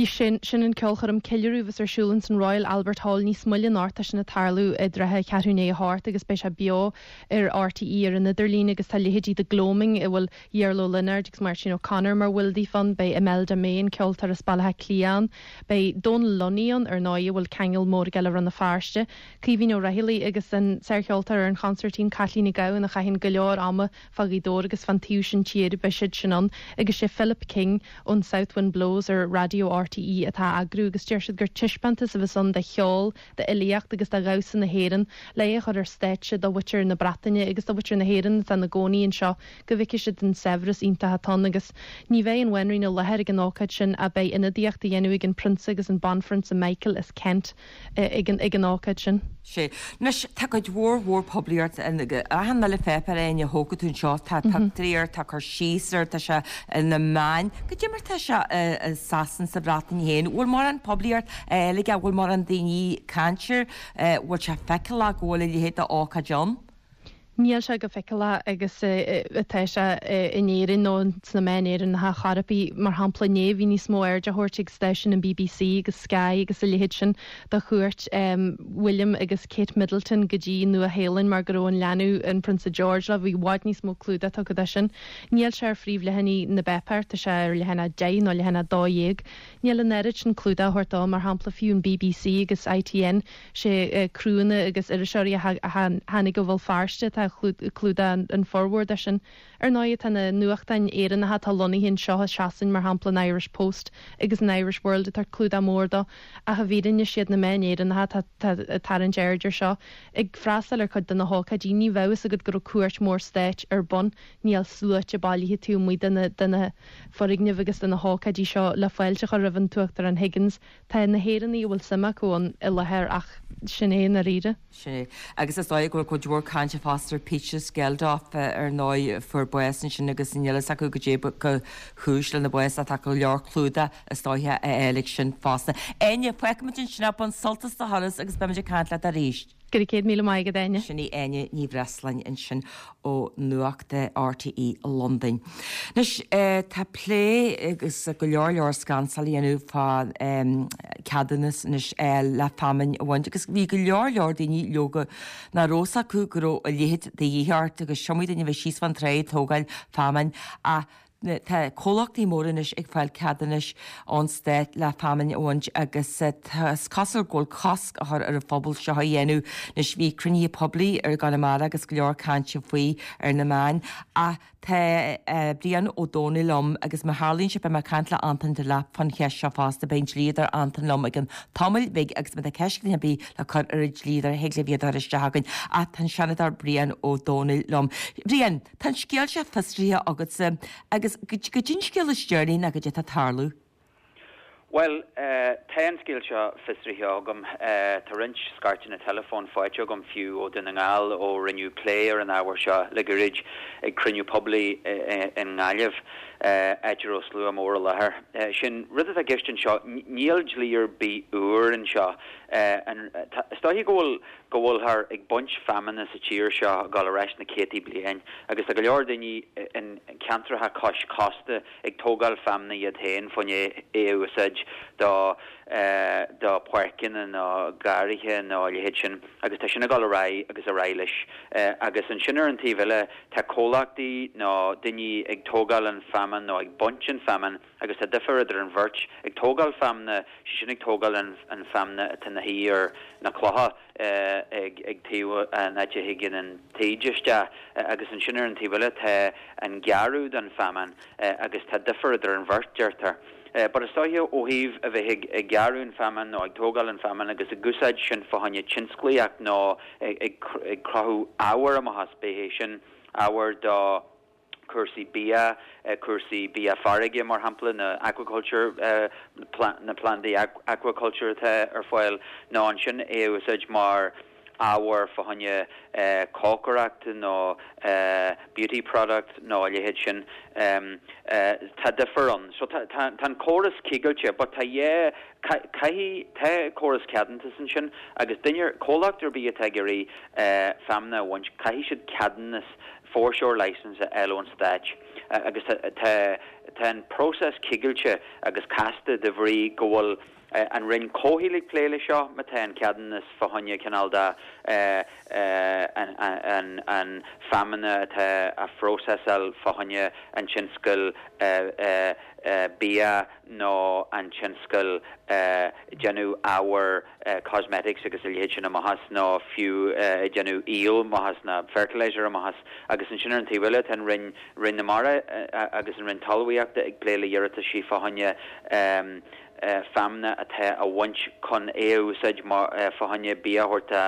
Sin, sin an ceolchoirm ceiliúradh a bheas ar siúl ins an Royal Albert Hall níos moille anocht. Tá sin ag tarlú i dtrátha cheathrú i ndiaidh a hocht agus beidh sé beo ar RTÉ ar an idirlíon agus tá leithéidí The Gloaming a bhfuil Iarla Ó Lionáird agus Máirtín O'Connor mar bhaill daofa ann, beidh Imelda May, an ceoltóir as Baile Átha Cliath ann, beidh Dónal Lunny ann ar ndóigh a bhfuil ceangal mór aige le Rann na Feirste, Caoimhín Ó Raghallaigh agus an sárcheoltóir ar an chonsairtín Caitlín Nic Gabhann a chaitheann go leor ama fá Ghaoth Dobhair agus fán taobh sin tíre, beidh siad sin ann agus sé Philip King ón South Wind Blows ar Raidió RTÉ atá á eagrú agus deir siad gur taispeántas a bheas ann de cheol, d'fhilíocht agus de dhamhsa na hÉireann le é a chur ar stáitse do mhuintir na Breataine agus do mhuintir na hÉireann atá ina gcónaí anseo go bhfeicfidh siad an saibhreas iontach atá ann agus ní bheidh an Bhanríon i láthair ag an ócáid sin ach beidh ionadaíocht á dhéanamh ag an Prionsa agus an Banphrionsa Michael as Kent ag an ag an ócáid sin. Sea. Anois, tá cuid mhór mhór poiblíocht in achan uile pháipéar Áine a thógfaidh tú anseo, tá pictiúirí air, tá cur síos air, tá sé ar na meáin. Goidé mar tá sé i Sasain, sa Bhreatain féin? Bhfuil mórán poiblíocht á fháil aige? Bhfuil mórán daoine ag caint air? Bhfuil sé feiceálach go bhfuil a leithéid d'ócáid ann? Níl sé chomh feiceálach agus atá sé in Éirinn nó sna meáin Éireannacha chor ar bith. Mar shampla, inné bhí níos mó aird á thabhairt ag stáisiúin an bbc agus Sky agus a leithéid sin do chuairt William agus Kate Middleton go dtí Nua-Shéalainn mar go raibh an leanbh, an Prionsa George, leo. Bhí i bhfad níos mó clúdach tugtha dó sin. Níl sé ar phríomhleathanaigh na bpáipéar, tá sé ar leathanach 10 nó leathanach 12. Níl an oiread sin clúdach á thabhairt dó, mar shampla, fiú an bbc agus ITN. Sé criúnna agus iriseoirí a tháinig ó Bhéal Feirste atá ag clúdach an formhór de sin. Ar ndóigh, tá na nuachtáin Éireannacha atá lonnaithe anseo i Sasain, mar shampla an Irish Post agus an Irish World, ag tabhairt clúdach mór dó. Ach i bhfírinne, siad na meáin Éireannacha atá ag tarraingt aird air seo. Ag freastal ar chuid de na hócáidí, ní bheadh fhios agat go raibh cuairt mhór stáit ar bun. Níl sluaite bailithe taobh amuigh de na foirgnimh agus de na hócáidí seo le fáilte a chur roimh an tUachtarán Higgins. Tá na hÉireannaigh a bhfuil suim acu ann i láthair ach sin é i ndáiríre. Sin é. Agus is dóigh go bhfuil cuid mhór cainte fosta ar Peter Geldof ar ndóigh a fuair bás ansin agus níl fhios acu goidé ba chúis lena bhás ach tá go leor clúdach is dóiche á fháil ag sin fosta. Áine, fágfaimid ansin é, bain sult as do thuras agus beimid ag caint leat arís. Go raibh 100,000 maith agat, Áine. Sin í Áine Ní Bhreisleáin ansin ó Nuacht RTÉ i Londain. Anois, tá plé agus go leor leor scansáil á dhéanamh fá ceadúnas anois le feamainn a bhaint agus bhí go leor leor daoine leoga nach raibh fhios acu go raibh a leithéid de dhíth ort agus is iomaí duine a bhí síos fán tráigh ag tógáil feamainn ach Tá comhlachtaí móra anois ag fáil ceadúnais ón stát le feamainn a bhaint agus is cosúil go bhfuil cosc á chur ar an phobal seo a dhéanamh. Anois bhí cruinnithe poiblí i gConamara agus go leor cainte faoi ar na meáin ach tá Brian Ó Dónaill liom agus má tharlaíonn sé beidh mé ag caint le Anton Delap fán cheist seo fosta. Beidh an dlíodóir Anton liom i gcionn tamaill bhig agus má tá ceist ar bith le cur ar an dlíodóir thig libh iad a chur isteach chugainn ach tá an Seanadóir Brian Ó Dónaill liom. Brian! Tá an scéal seo fiosraithe agatsa agus goidé an scéal is deireanaí ná goidé atá ag tarlú. Bhuel, tá an scéal seo fiosraithe agam. Tá roinnt scairteanna teileafóin faighte agam fiú ó Dhún na nGall ó rinneadh plé ar an ábhar seo le gairid ag cruinniú poiblí i nGaillimh, áit a raibh slua mór i láthair. Sé'n rud atá i gceist anseo, níl dlí ar bith úr anseo. Is dóiche go bhfuil go bhfuilthear ag baint feamainne sa tír seo ag dul ar ais na céadtaí bliain agus tá go leor daoine in ceantracha cois cósta ag tógáil feamainne iad féin fá choinne é a úsáid do do páirceanna nó garraithe nó a leithéid sin agus tá sin ag dul ar aghaidh agus ar aghaidh leis agus ansin ar an taobh eile tá comhlachtaí nó daoine ag tógáil an feamainn nó ag baint an feamainn agus tá difear idir an bheirt. Ag tógáil feamainne, sé sin ag tógáil an feamainne atá ina shuí ar na clocha ag taobh an áit a thigeann an taoide isteach agus ansin ar an taobh eile tá an gearradh don feamainn agus tá difear idir an bheirt, deirtear. But is dóiche ó thaobh a bheith ag gearradh an feamainn nó ag tógáil an feamainn agus ag úsáid sin fá choinne tionsclaíocht nó ag cruthú ábhair amach as, bíodh é sin ábhar do cúrsaí bia, cúrsaí bia farraige mar shampla, na aquaculture, na plandaí aquaculture atá ar fáil, nó ansin é a úsáid mar ábhar fá choinne cócaireacht nó beauty product nó a leithéid sin. Tá difear ann. So tá an córas cigilte but tá yeah caithfidh, tá córas ceadúntas ansin agus duine, comhlacht ar bith atá ag iarraidh feamna a bhaint, caithfidh siad ceadúnas, foreshore licence a fháil ón Stáit agus tá tá an próiseas cigilte agus casta de bhrí go bhfuil an Roinn Comhshaoil ag plé leis seo má tá an ceadúnas fá choinne cineál de an feamna atá á phróiseáil fá choinne an tionscail bia nó an tionscal déanamh ábhair cosmetics agus a leithéid sin amach as nó fiú déanamh aoil amach as nó fertilizer amach as agus ansin ar an taobh eile tá an Roinn Roinn na Mara agus an Roinn Talmhaíochta ag plé le hiarrataisí fá choinne feamna atá á bhaint chun é a úsáid fá choinne bia a thabhairt do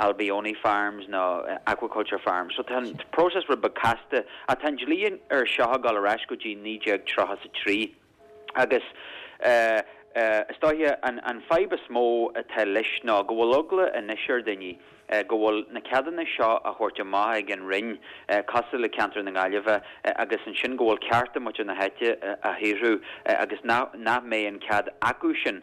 abalone farms nó aquaculture farms. So tá an próiseas rud beag casta ach tá an dlí ar seo ag dul ar ais go dtí 1933 agus is dóiche an fadhb is mó atá leis ná go bhfuil eagla anois ar daoine go bhfuil na ceadúnais seo á thabhairt amach ag an Roinn, cosúil le ceantar na Gaillimhe, agus ansin go bhfuil cearta muintir na háite á shaothrú agus nach mbeidh an cead acu sin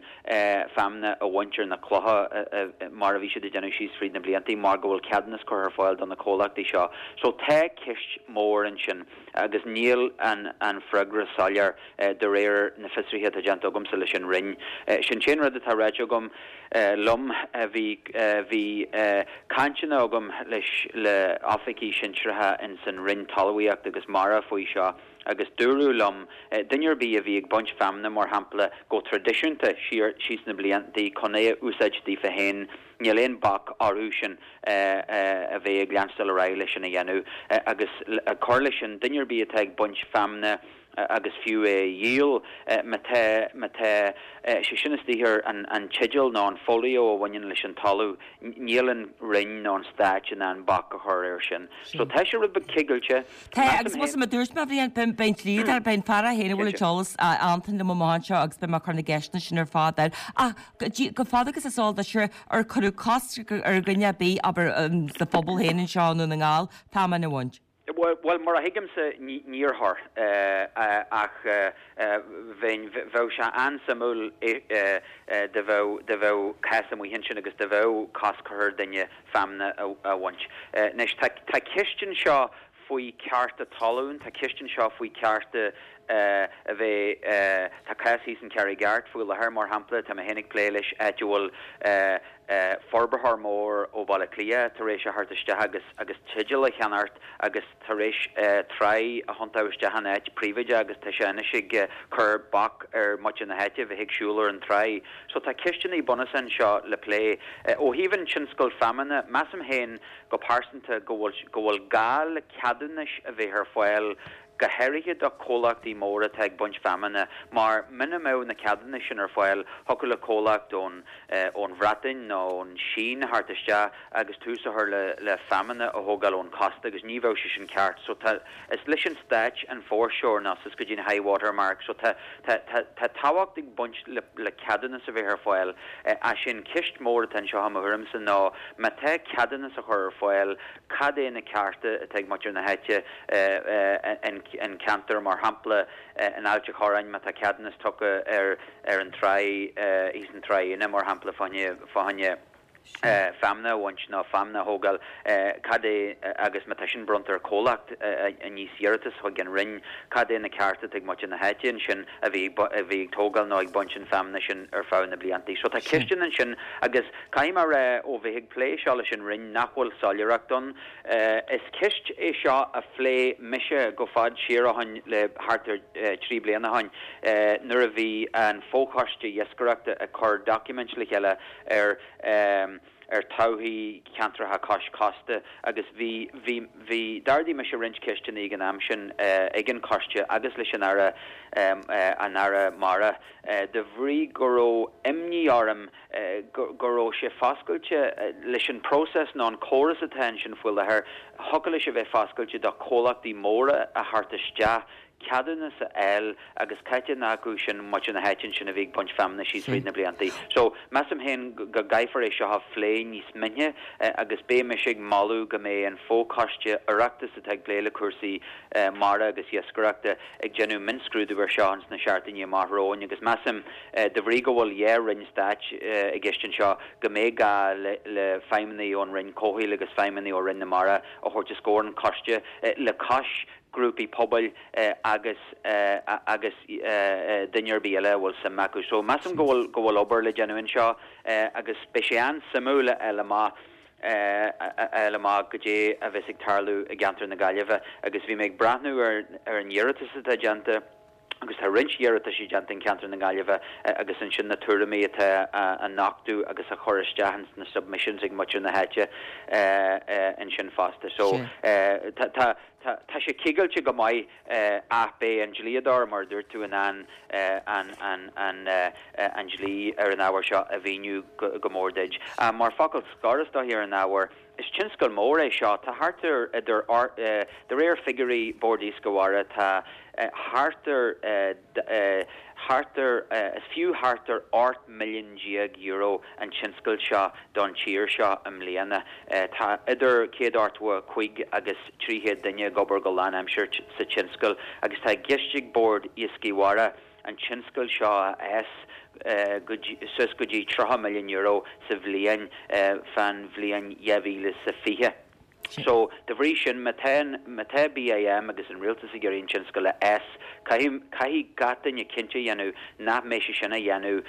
feamna a bhaint ar na clocha mar a bhí siad ag déanamh síos fríd na blianta mar go bhfuil ceadúnas curtha ar fáil do na comhlachtaí seo. So tá ceist mór ansin agus níl an freagra soiléir de réir na fiosruithe atá déanta agamsa leis an Roinn. Sin an t-aon rud atá ráite agam liom. Bhí bhí cainteanna agam leis le oifigigh sinsearacha ins an Roinn Talmhaíochta agus Mara faoi seo agus dúradh liom, duine ar bith a bhí ag baint feamna mar shampla go traidisiúnta siar síos na blianta chun é a úsáid daofa féin, níl aon bac orthu sin a bheith ag leanstáil ar aghaidh leis sin a dhéanamh agus ag cur leis sin, duine ar bith atá ag baint feamna agus fiú é a dhíol, má tá, má tá sé sin istigh ar an teideal nó an folio a bhaineann leis an talamh, níl an Roinn nó an Stát in ann bac a chur air sin. So tá sé rud beag cigilte. Tá, agus más mar a dúirt mé, a Bhriain, beidh an dlíodóir, beidh an fear é féin a bhfuil an t-eolas, Antain liom amach anseo agus beidh mé ag cur na gceisteanna sin ar fad air. Ach go fada agus is eol duit, ar cuireadh cosc ar dhuine ar bith, abair, sa phobal féin anseo i nDún na nGall, feamainn a bhaint? Bhuel, mar a thuigimse, níor chuir. Ach bheinn, bheadh sé an-suimiúil dá bheadh, dá bheadh cás amuigh ansin agus dá bheadh cosc curtha ar duine feamna a bhaint. Anois, tá, tá ceist anseo faoi cearta talún, tá ceist anseo faoi cearta a bheith, tá cás thíos in Carraig Airt faoi láthair, mar shampla, tá mé féin ag plé leis, áit a bhfuil forbarthóir mór ó Bhaile Átha Cliath tar éis a theacht isteach agus agus teideal a cheannacht agus tar éis tráigh a thiontú isteach in áit príobháideach agus tá sé anois ag cur bac ar muintir na háite bheith ag siúl ar an tráigh. So tá ceisteanna bunúsacha anseo le plé. Ó thaobh an tionscail feamainne, measaim féin go pearsanta go bhfuil go bhfuil gá le ceadúnais a bheith ar fáil go háirithe do chomhlachtaí móra atá ag baint feamainne, mar muna mbeadh na ceadúnais sin ar fáil, thiocfadh le comhlacht ón ón Bhreatain nó ón Sín a theacht isteach agus tús a chur le le feamainne a thógáil ón chósta agus ní bheadh sé sin ceart. So tá, is leis an Stáit an foreshore nó suas go dtí an high water mark so tá tá tá tá tábhacht ag baint le le ceadúnas a bheith ar fáil. Ach sé an ceist mór atá anseo i mo thuairimse ná má tá ceadúnas á chur ar fáil, cad é na cearta atá ag muintir na háite an ceantar, mar shampla in Ailt a' Chorráin má tá ceadúnas tugtha ar ar an tráigh thíos in Tráigh Fhíona mar shampla fá choinne feamna a bhaint nó feamna a thógáil, cad é agus má tá sin bronnta ar chomhlacht a níos iarratas chuig an Roinn, cad é na cearta atá ag muintir na háite ansin a bhí a bhí ag tógáil nó ag baint an feamna sin ar feadh na blianta. So tá ceisteanna ansin agus caithfidh mé a rá ó bheith ag plé seo leis an Roinn nach bhfuil soiléireacht ann. Is ceist é seo a phléigh mise go fad siar ó shoin le thart ar thrí bliana ó shoin nuair a bhí an fochoiste iascaireachta ag cur doiciméid le chéile ar ar todhchaí ceantracha cois cósta agus bhí bhí bhí d'ardaigh mise roinnt ceisteanna ag an am sin ag an choiste agus leis an Aire an Aire Mara de bhrí go raibh imní orm go raibh sé foscailte leis an próiseas nó an córas atá ansin faoi láthair, thiocfadh leis a bheith foscailte do chomhlachtaí móra a theacht isteach. ceadúnas a fháil agus cá háit a ndeachaigh sin muintir na háite ansin a bhí ag baint feamainne síos fríd na bliantaí. So, measaim féin go gcaithfear é seo a phlé níos mine agus beidh mise ag moladh go mbeidh an fo-choiste Oireachtais atá ag plé le cúrsaí mara agus iascaireachta ag déanamh mionscrúdú ar seo ins na seachtainí amach romhainn agus measaim de bhrí go bhfuil dhá roinn stáit i gceist anseo go mbeidh gá le feidhmeannaigh ón Roinn Comhshaoil agus feidhmeannaigh ó Roinn na Mara a thabhairt os comhair an choiste le cois grúpaí pobail agus agus duine ar bith eile a bhfuil suim acu. So measaim go bhfuil go bhfuil obair le déanamh anseo agus beidh sé an-suimiúil a fháil amach a fháil amach goidé a bheas ag tarlú i gceantar na Gaillimhe agus bhí mé ag breathnú ar ar an iarratas atá déanta agus tá roinnt iarrataisí déanta in ceantar na Gaillimhe agus ansin na tuairimí atá á nochtadh agus á chur isteach ins na submissions ag muintir na háite ansin fosta. So tá tá tá tá sé cigilte go maith ach beidh an dlíodóir mar a dúirt tú in ann an an an an dlí ar an ábhar seo a mhíniú go go mór duit. Mar focal scoir is dóichí ar an ábhar, Is tionscal mór é seo. Tá thart ar idir, de réir figiúirí Bord Iascaigh Mhara, tá thart ar, thart ar, is fiú thart ar €18 milliún an tionscal seo don tír seo i mbliana. Tá idir 185 agus 300 duine ag obair go lánaimseartha sa tionscal agus tá i gceist ag Bord Iascaigh Mhara, an tionscal seo a fhás suas go dtí €30 milliún sa bhliain fán bhliain 2020. So, de bhrí sin, má tá, má tá BIM agus an rialtas ag iarraidh an tionscal a fhás, caithfidh, caithfidh gach duine cinnte a dhéanamh nach mbeidh sé sin á dhéanamh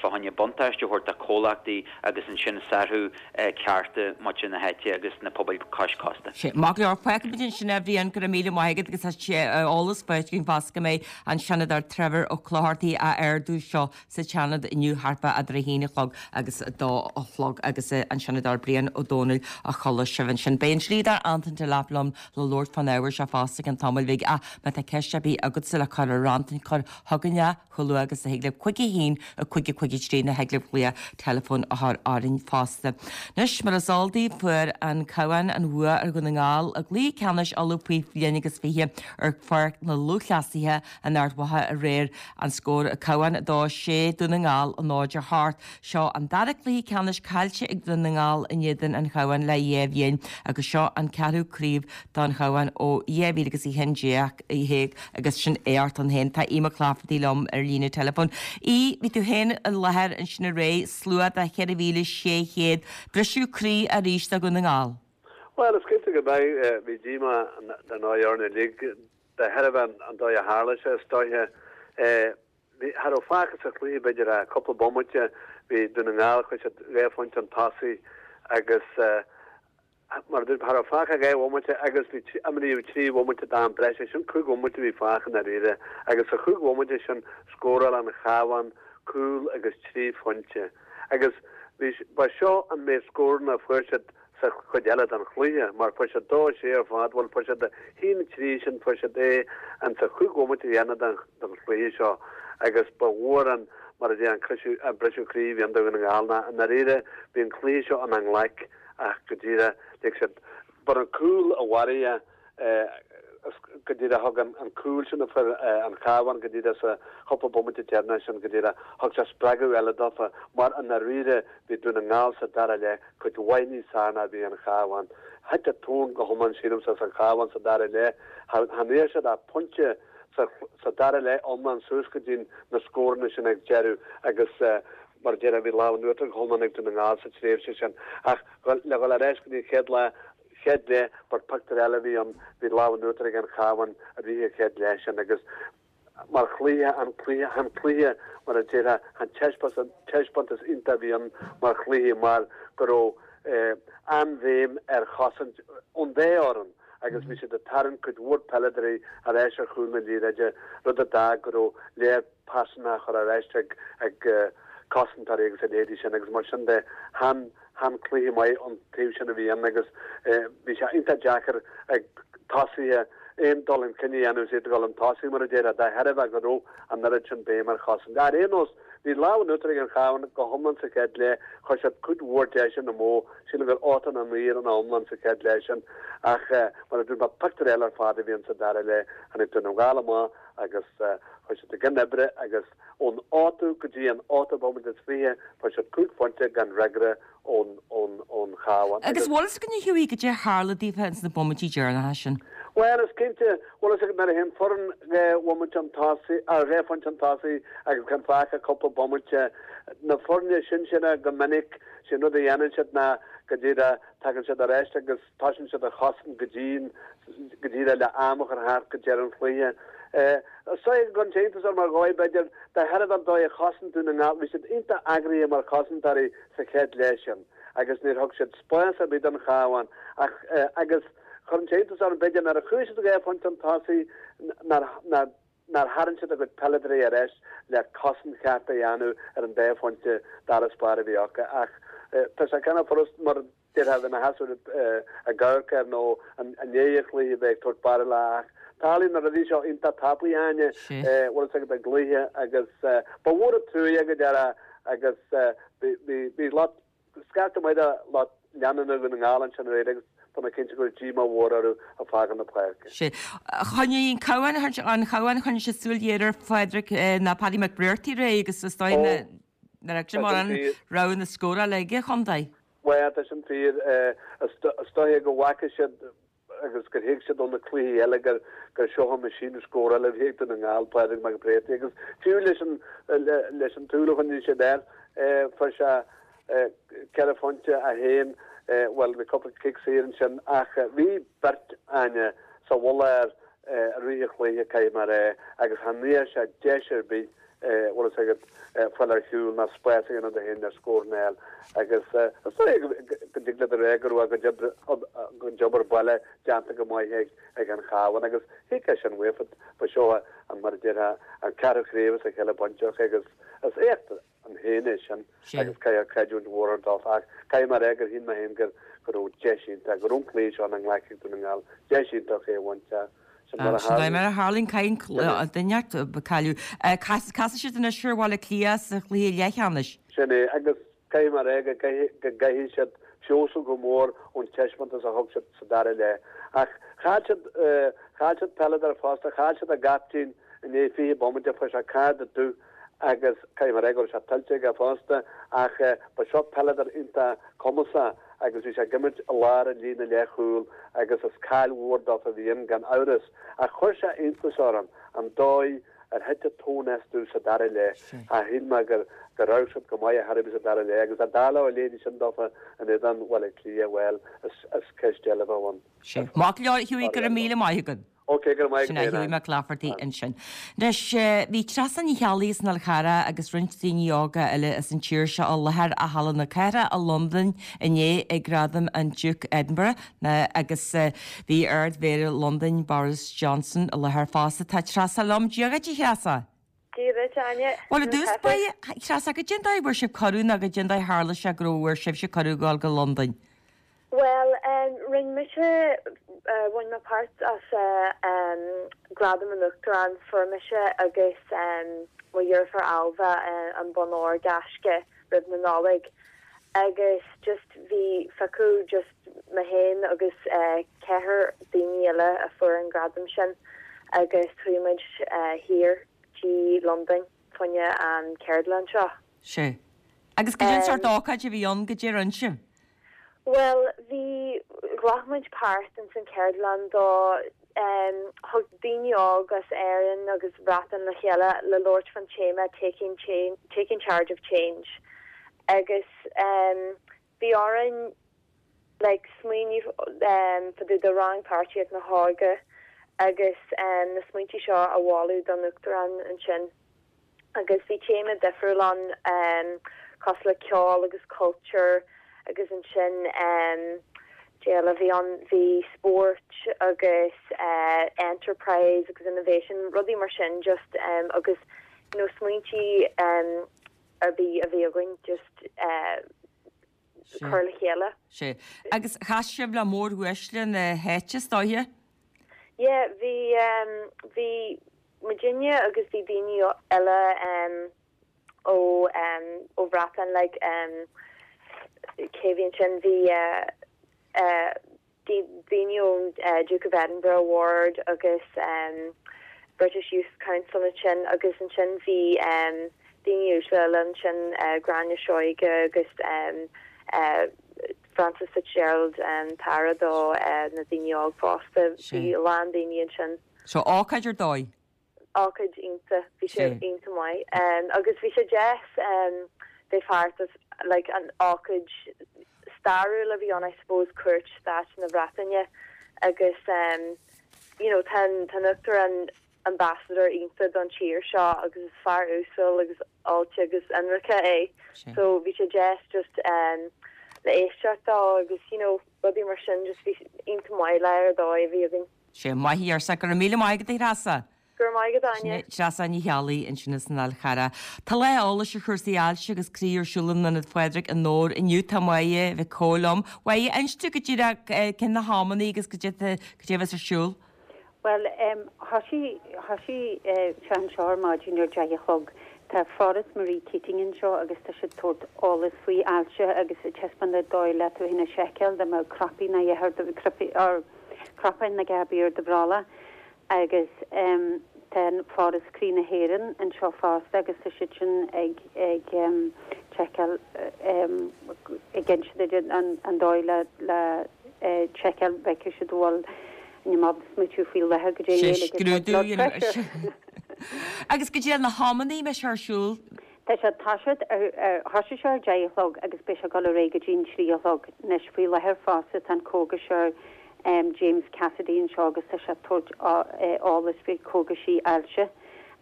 fá choinne buntáiste a thabhairt do chomhlachtaí agus ansin sárú cearta muintir na háite agus na pobail cois cósta. Sea, maith go leor. Fágfaimid ansin é, a Bhriain, go raibh míle maith agat agus tá sé eolas faighte againn fosta go mbeidh an Seanadóir Trevor Ó Clochartaigh á ardú seo sa tSeanad inniu thart fá eadar a haon a chlog agus a dó a chlog agus an Seanadóir Brian Ó Domhnaill a chuala sibh ansin. Beidh an dlíodóir Antain Delap liom le labhairt fán ábhar seo fosta i gceann tamaill bhig ach má tá ceist ar bith agatsa le cur ar Antain cuir chugainn é. Chomh luath agus a thig libh 5 1 5 5 3 nó thig libh glaoch teileafóin a chur orainn fosta. Anois, mar is eol daoibh, fuair an Cabhán an bhua ar Dhún na nGall i gcluiche ceannais Uladh faoi bhliain agus 20 ar Pháirc na Lúthchleasaithe in Ard Mhacha aréir. An scór, Cabhán 2, 6, Dún na nGall 0, 8. Seo an dara cluiche ceannais caillte ag Dún na nGall in éadan an Chabháin le dhá bhliain agus seo an ceathrú craobh don Chabhán ó 2011 agus sin éacht ann féin. Tá Aodh Mac Laifeartaigh liom ar líne teileafóin. Aodh, bhí tú féin i láthair ansin aréir, slua de 4,600, briseadh croí arís do Dhún na nGall. Bhuel, is cinnte go mbeidh. Bhí díomá dar ndóigh orainn uilig de thairbhe an dóigh a tharla sé, is dóiche. Bhí, cha raibh fágtha sa chluiche b'fhéidir ach cúpla bomaite, bhí Dún na nGall, chuaigh siad dhá phointe chun tosaigh agus mar a dúirt, cha raibh fágtha ach dhá bhomaite agus bhí, imríodh trí bhomaite d'am breise, sin cúig bhomaite a bhí fágtha i ndáiríre agus sa chúig bhomaite sin scóráil an Chabhán cúl agus trí phointe agus bhí, ba seo an méid scóranna a fuair siad sa chuid eile den chluiche, mar fuair siad dó a sé ar fad, bhuel fuair siad a haon a trí sin, fuair siad é in sa chúig bhomaite dheireanach den den chluiche seo agus ba mhór an, mar a deir an criseadh, an briseadh croí a bhí ann do Dhún na nGall ná i ndáiríre bhí an cluiche seo ina nglaic ach go díreach lig siad, ba an cúl a mharaigh é. Go díreach thug an cúl sin a fuair an Cabhán go díreach sa chúpla bomaite deireanach sin go díreach, thug sé spreagadh eile dófa mar i ndáiríre bhí Dún na nGall sa dara leath cuid mhaith níos fearr ná bhí an Cabhán. Thit an tóin go hiomlán sílimse as an Chabhán sa dara leath. Chan fhuair siad ach pointe sa dara leath iomlán suas go dtí na scóranna sin ag deireadh agus mar a déarfá bhí lámh in uachtar go hiomlán ag Dún na nGall sa tréimhse sin. Ach le dhul ar ais go dtí an chéad lá, chéad leath, ba pictiúr eile a bhí ann, bhí lámh in uachtar ag an Chabhán i rith an chéad leath sin agus mar chluiche, an cluiche, chan cluiche mar a déarfá, chan taispeántas iontach a bhí ann mar chluiche mar go raibh an-bhéim ar chosaint ón dá fhoireann agus bhí siad ag tarraingt cuid mhór peileadóirí ar ais ar chúl na liathróide, rud a d'fhág go raibh léar pasanna á chur ar ais ag cosantóirí agus a leithéidí sin agus mar sin de, chan chan cluiche maith ón taobh sin a bhí ann agus bhí sé iontach deacair ag tosaithe aon dul chun cinn a dhéanamh is iad ag dul chun tosaigh mar a déarfá, de thairbhe go raibh an oiread sin béim ar chosaint. Ar aon nós, Bhí lámh in uachtar ag an Chabhán go hiomlán sa chéad leath, chuir siad cuid mhór deiseanna amú, sílim gur 89 ar an iomlán sa chéad leath sin ach mar a dúirt mé pictiúr eile ar fad a bhí ann sa dara leath. Tháinig Dún na nGall amach agus chuir siad a gcionn oibre agus ón ochtú go dtí an ochtú bomaite is 20 fuair siad cúig phointe gan fhreagra ón ón Chabhán. Agus bhfuil fhios againn a Hughie goidé a tharla daofa ins na bomaití deireanacha sin? Bhuel, is cinnte, bhfuil fhios agat nuair a théann foireann dhá bhomaite chun tosaigh, ar dhá phointe chun tosaigh agus gan fágtha ach cúpla bomaite, na foirne sinseartha go minic, sé an rud a dhéanann siad ná go díreach tagann siad ar ais agus tosaíonn siad ar chosaint go dian, go díreach le am a chur thart go deireadh an chluiche. Is dóigh go gcuireann sé iontas orm ar dhóigh, b'fhéidir, de thairbhe an dóigh a chosain Dún na nGall, bhí siad iontach eagraithe mar chosantóirí sa chéad leath sin agus níor thug siad spás ar bith don Chabhán ach agus chuireann sé iontas orm b'fhéidir nuair a chuaigh siad dhá phointe chun tosaigh nár nár nár tharraing siad a gcuid peileadóirí ar ais le cosaint cheart a dhéanamh ar an dá phointe d'fharasbarr a bhí acu ach tá sé cineál furast mar déarfá a bheith ina sheasamh ag amharc air nó i ndiaidh an chluiche bheith ag tabhairt barúla ach tarlaíonn na rudaí seo iontach tapaidh Áine, bhfuil fhios agat i gcluiche agus ba mhór an truaighe go dearfa agus bhí lucht, scaifte maith de lucht leanúna Dhún na nGall ansin aréir agus tá mé cinnte go raibh díomá mhór orthu ag fágáil na páirce. Sea. Choinnigh an Cabhán, an Cabhán, choinnigh siad súil ghéar ar Phádraig ná Paddy McBrearty aréir agus is dóigh nach raibh sé mórán roghanna scórála ag an chontae. Bhuel, tá sin fíor. Is dóiche go bhfaca siad agus gur thuig siad ó na cluichí eile gur gur seo an meaisín scórála a bhí ag Dún na nGall, Pádraig McBrearty, agus fiú leis an leis an tsúil a choinnigh siad air, fuair sé ceithre phointe a haon, bhuel, bhí cúpla cic saor ansin ach bhí beirt, Áine, sa mhullach air i rith an chluiche, caithfidh mé a rá, agus chan fhaca sé deis ar bith bhfuil fhios agat, fáil ar shiúl ná spás a dhéanamh dó féin le scór a fháil agus is dóigh go dtig leat a rá go raibh a gcuid obair baile déanta go maith ag an Chabhán agus thuig é sin uafa, ba seo an, mar a déarfá, an ceathrú craobh as a chéile bainte acu agus is éacht ann féin é sin agus caithfear creidiúint mhór a thabhairt dófa ach caithfidh mé a rá gur shíl mé féin gur go raibh deis iontach, go raibh an cluiche seo ina nglaic ag Dún na nGall, deis iontach é a bhaint ach sin mar a tharlaíonn. Mar a tharlaíonn, cailleann duine inteacht cailleadh. Casfaidh siad anois ar Bhaile Átha Cliath sa chluiche leathcheannais. Sin é, agus caithfidh mé a rá go gcaithfidh siad feabhsú go mór ón taispeántas a thug siad sa dara leath. Ach chaill siad, chaill siad peileadóir fosta, chaill siad a gcaiptín i ndiaidh 20 bomaite, fuair sé cárta dubh agus caithfidh mé a rá go raibh sé tuillte aige fosta ach ba seo peileadóir iontach cumasach agus bhí sé ag imirt i lár an líne leathchúil agus is caill mhór dófa a bhí ann gan amhras ach chuir sé iontas orm an dóigh ar thit an tóin astu sa dara leath. Shíl mé gur gur amharc siad go maith ar chor ar bith sa dara leath agus dá dtarlódh a leithéidí sin dófa in éadan Bhaile Átha Cliath, bhuel, is ceist eile a bheadh ann. Sin. Maith go leor, Hughie, go raibh míle maith agat. Ok, go raibh maith Sin é Hughie Mac Laifeartaigh ansin. Anois, bhí Treasa Ní Cheallaigh as an Fhál Charrach agus roinnt daoine óga eile as an tír seo i láthair i Halla na Cathrach i Londain inné ag Gradaim an Duke Edinburgh agus bhí Ard-Mhéara Londain, Boris Johnson, i láthair fosta. Tá Treasa liom. Dia dhuit, a Threasa. Dia duit, Áine. Bhuel, i dtús báire, a Threasa, goidé an dóigh a bhfuair sibh cuireadh nó goidé an dóigh a tharla sé go raibh bhfuair sibhse cuireadh a ghabháil go Londain? Bhuel, rinne mise, bhain mé páirt as Gradam an Uachtaráin, fuair mise agus mo dheirfiúr Ailbhe an bonn óir gaisce roimh na Nollag agus just bhí phiocadh just mé féin agus ceathrar daoine eile a fuair an gradam sin agus chuaigh muid thiar dtí Londain fá choinne an ceardlann seo. Sea. Agus goidé an sórt ócáid a bhí ann, goidé a rinne sibh? Bhuel, bhí, ghlac muid páirt ins an ceardlann do, em, thug daoine óg as Éirinn agus Bhreatain le chéile le labhairt fán téama Taking Change, Taking Charge of Change agus, em, bhí orainn like smaoineamh, em, fá dtaobh de rannpháirtíocht na hóige agus, em, na smaointe seo a mholadh don Uachtarán ansin. agus bhí téama difriúil ann cosúil le ceol agus cultúr agus ansin cad eile a bhí ann, bhí spóirt agus enterprise agus innovation, rudaí mar sin just agus you know smaointí ar bith a bhí againn just cur le chéile. Sea. Agus chas sibh le móruaisle na háite, is dóiche? Yeah, bhí, bhí muidinne agus bhí daoine eile. ó ó Bhreatain like cé bhí ansin bhí daoine ón Duke of Edinburgh Award agus British Youth Council ansin agus ansin bhí daoine uaisle eile ansin Gráinne Seoige agus Frances Fitzgerald an tAire do na daoine óg fosta. Bhí a lán daoine ansin. So ócáid ar dóigh. Ócáid iontach, bhí sé iontach maith. Agus bhí sé deas bheith páirteach like an ócáid stairiúil a bhí ann I suppose cuairt stáit na Breataine agus you know tá an tá an Uachtarán ambassador iontach don tír seo agus is fear uasal agus oilte agus ionraice é so bhí sé deas just le éisteacht dó agus you know rudaí mar sin just bhí iontach maith lá ar dóigh a bhí againn. Sé maith í arsa Go raibh míle maith agat a Threasa. Go raibh maith agat Áine. Treasa Ní Cheallaigh ansin as an Fhál Charrach. Tá lá eolais ar chúrsaí ailse agus croí ar siúl in Ionad Phádraig i nDobhar inniu. Tá Máire Mhic Cóil liom. Máire, inis dúinn go díreach cén na hamannaí agus cad é a bheas ar siúl. Bhuel, thoisigh, thoisigh sé anseo ar maidin ar deich a chlog. Tá Foras Marie Keating anseo agus tá siad ag tabhairt eolas faoi ailse agus ag taispeáint an dóigh le tú féin a sheiceáil dá mbeadh crapaí nó a dhath ar do, cnapáin nó a dhath ar bith ar do bhrollach agus tá an Foras Croí na hÉireann anseo fosta agus tá siad sin ag ag seiceáil ag inse duit an dóigh le le seiceáil bhfeicfidh siad an bhfuil níl mé ábalta smaoitiú faoi láthair go dtí Sé scrúdú a dhéanamh ar sin. Agus go dtí na hamannaí a mbeidh sé ar siúl. Tá sé ag toiseacht ar, thoisigh sé ar deich a chlog agus beidh sé ag dul ar aghaidh go dtí an trí a chlog. Anois faoi láthair fosta tá an cógaiseoir James Cassidy anseo agus tá sé ag tabhairt eolas faoi chógaisí ailse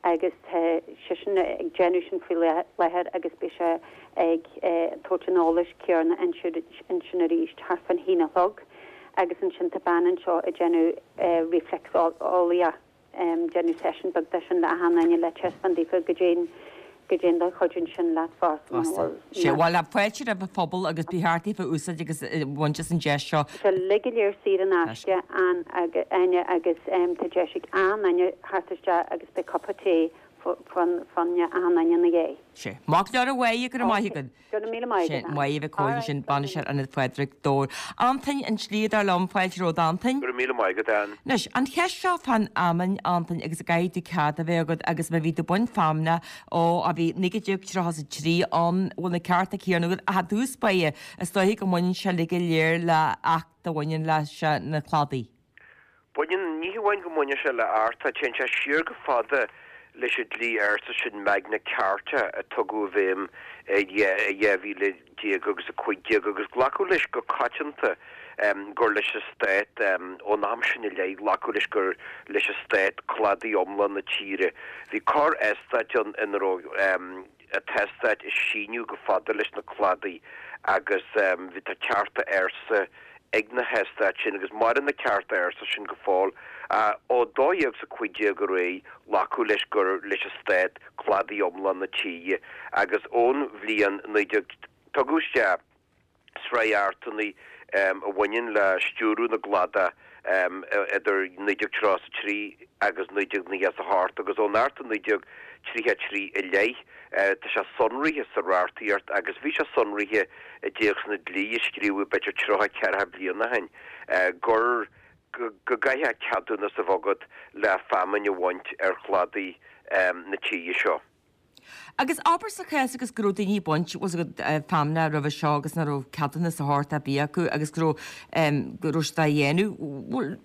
agus tá seisean ag déanamh sin faoi láthair agus beidh sé ag tabhairt an eolais céanna ansin arís thart fán haon a chlog agus ansin tá bean anseo ag déanamh reflexolaíocht. déanamh seisiún beag de sin le achan duine le taispeáint daofa goidé goidé an dóigh a chuidíonn sin leat fosta muna bhfuil Sé, bhuel, fáilte roimh an phobal agus ba cheart daofa úsáid agus bhaint as an deis seo. Tá sé uilig go léir saor in aisce Áine agus tá deis ag achan duine theacht isteach agus beidh cupa tae fá choinne achan duine ina dhiaidh. Sé. Maith go leor a Mháire, go raibh maith agat. Go raibh míle maith agat. Sin Máire Mhic Cóil ansin, Bainisteoir Ionad Phádraig, Dobhar. Antain, an Slíodóir liom, fáilte romhat Antain. Go raibh míle maith agat, Ann. Anois, an cheist seo fán fheamainn, Antain, agus an gcaithfidh tú cead a bheith agat agus má bhí tú ag baint feamainne ó a bhí 1933 ann, bhfuil na cearta céanna agat ach i dtús báire, is dóiche go mbaineann sé uilig go léir le acht a bhaineann leis na cladaí. Baineann, ní hamháin go mbaineann sé le acht, téann sé siar go fada leis an dlí ársa sin Magna Carta a tugadh i bhfeidhm i 12 agus 15 agus glacadh leis go coitianta gur leis an stát, ón am sin i leith, glacadh leis gur leis an stát cladaí iomlán na tíre. Bhí corr eastát ann ina raibh an t-eastát ag síneadh go fada leis na cladaí agus bhí tá cearta ársa ag na heastáit sin agus maireann na cearta ársa sin go fóill. Ó 1215 ar aghaidh glacadh leis gur leis an stát cladaí iomlán na tíre agus ón bhliain 19 tugadh isteach sraith achtanna a bhaineann le stiúradh na gcladach idir 1933 agus 1998 agus ón Acht 1933 i leith tá sé sonraithe sa reachtaíocht agus bhí sé sonraithe i dtéacsanna dlí a scríobhadh b'fhéidir 30, 40 bliain ó shin gur go gcaithfeá ceadúnas a bheith agat le feamainn a bhaint ar chladaí na tíre seo. Agus abair sa chás agus go raibh daoine ag baint, bhfuil a fhios agat, feamainne roimhe seo agus nach raibh ceadúnas de shórt ar bith acu agus go raibh, go raibh siad á dhéanamh, bhfuil,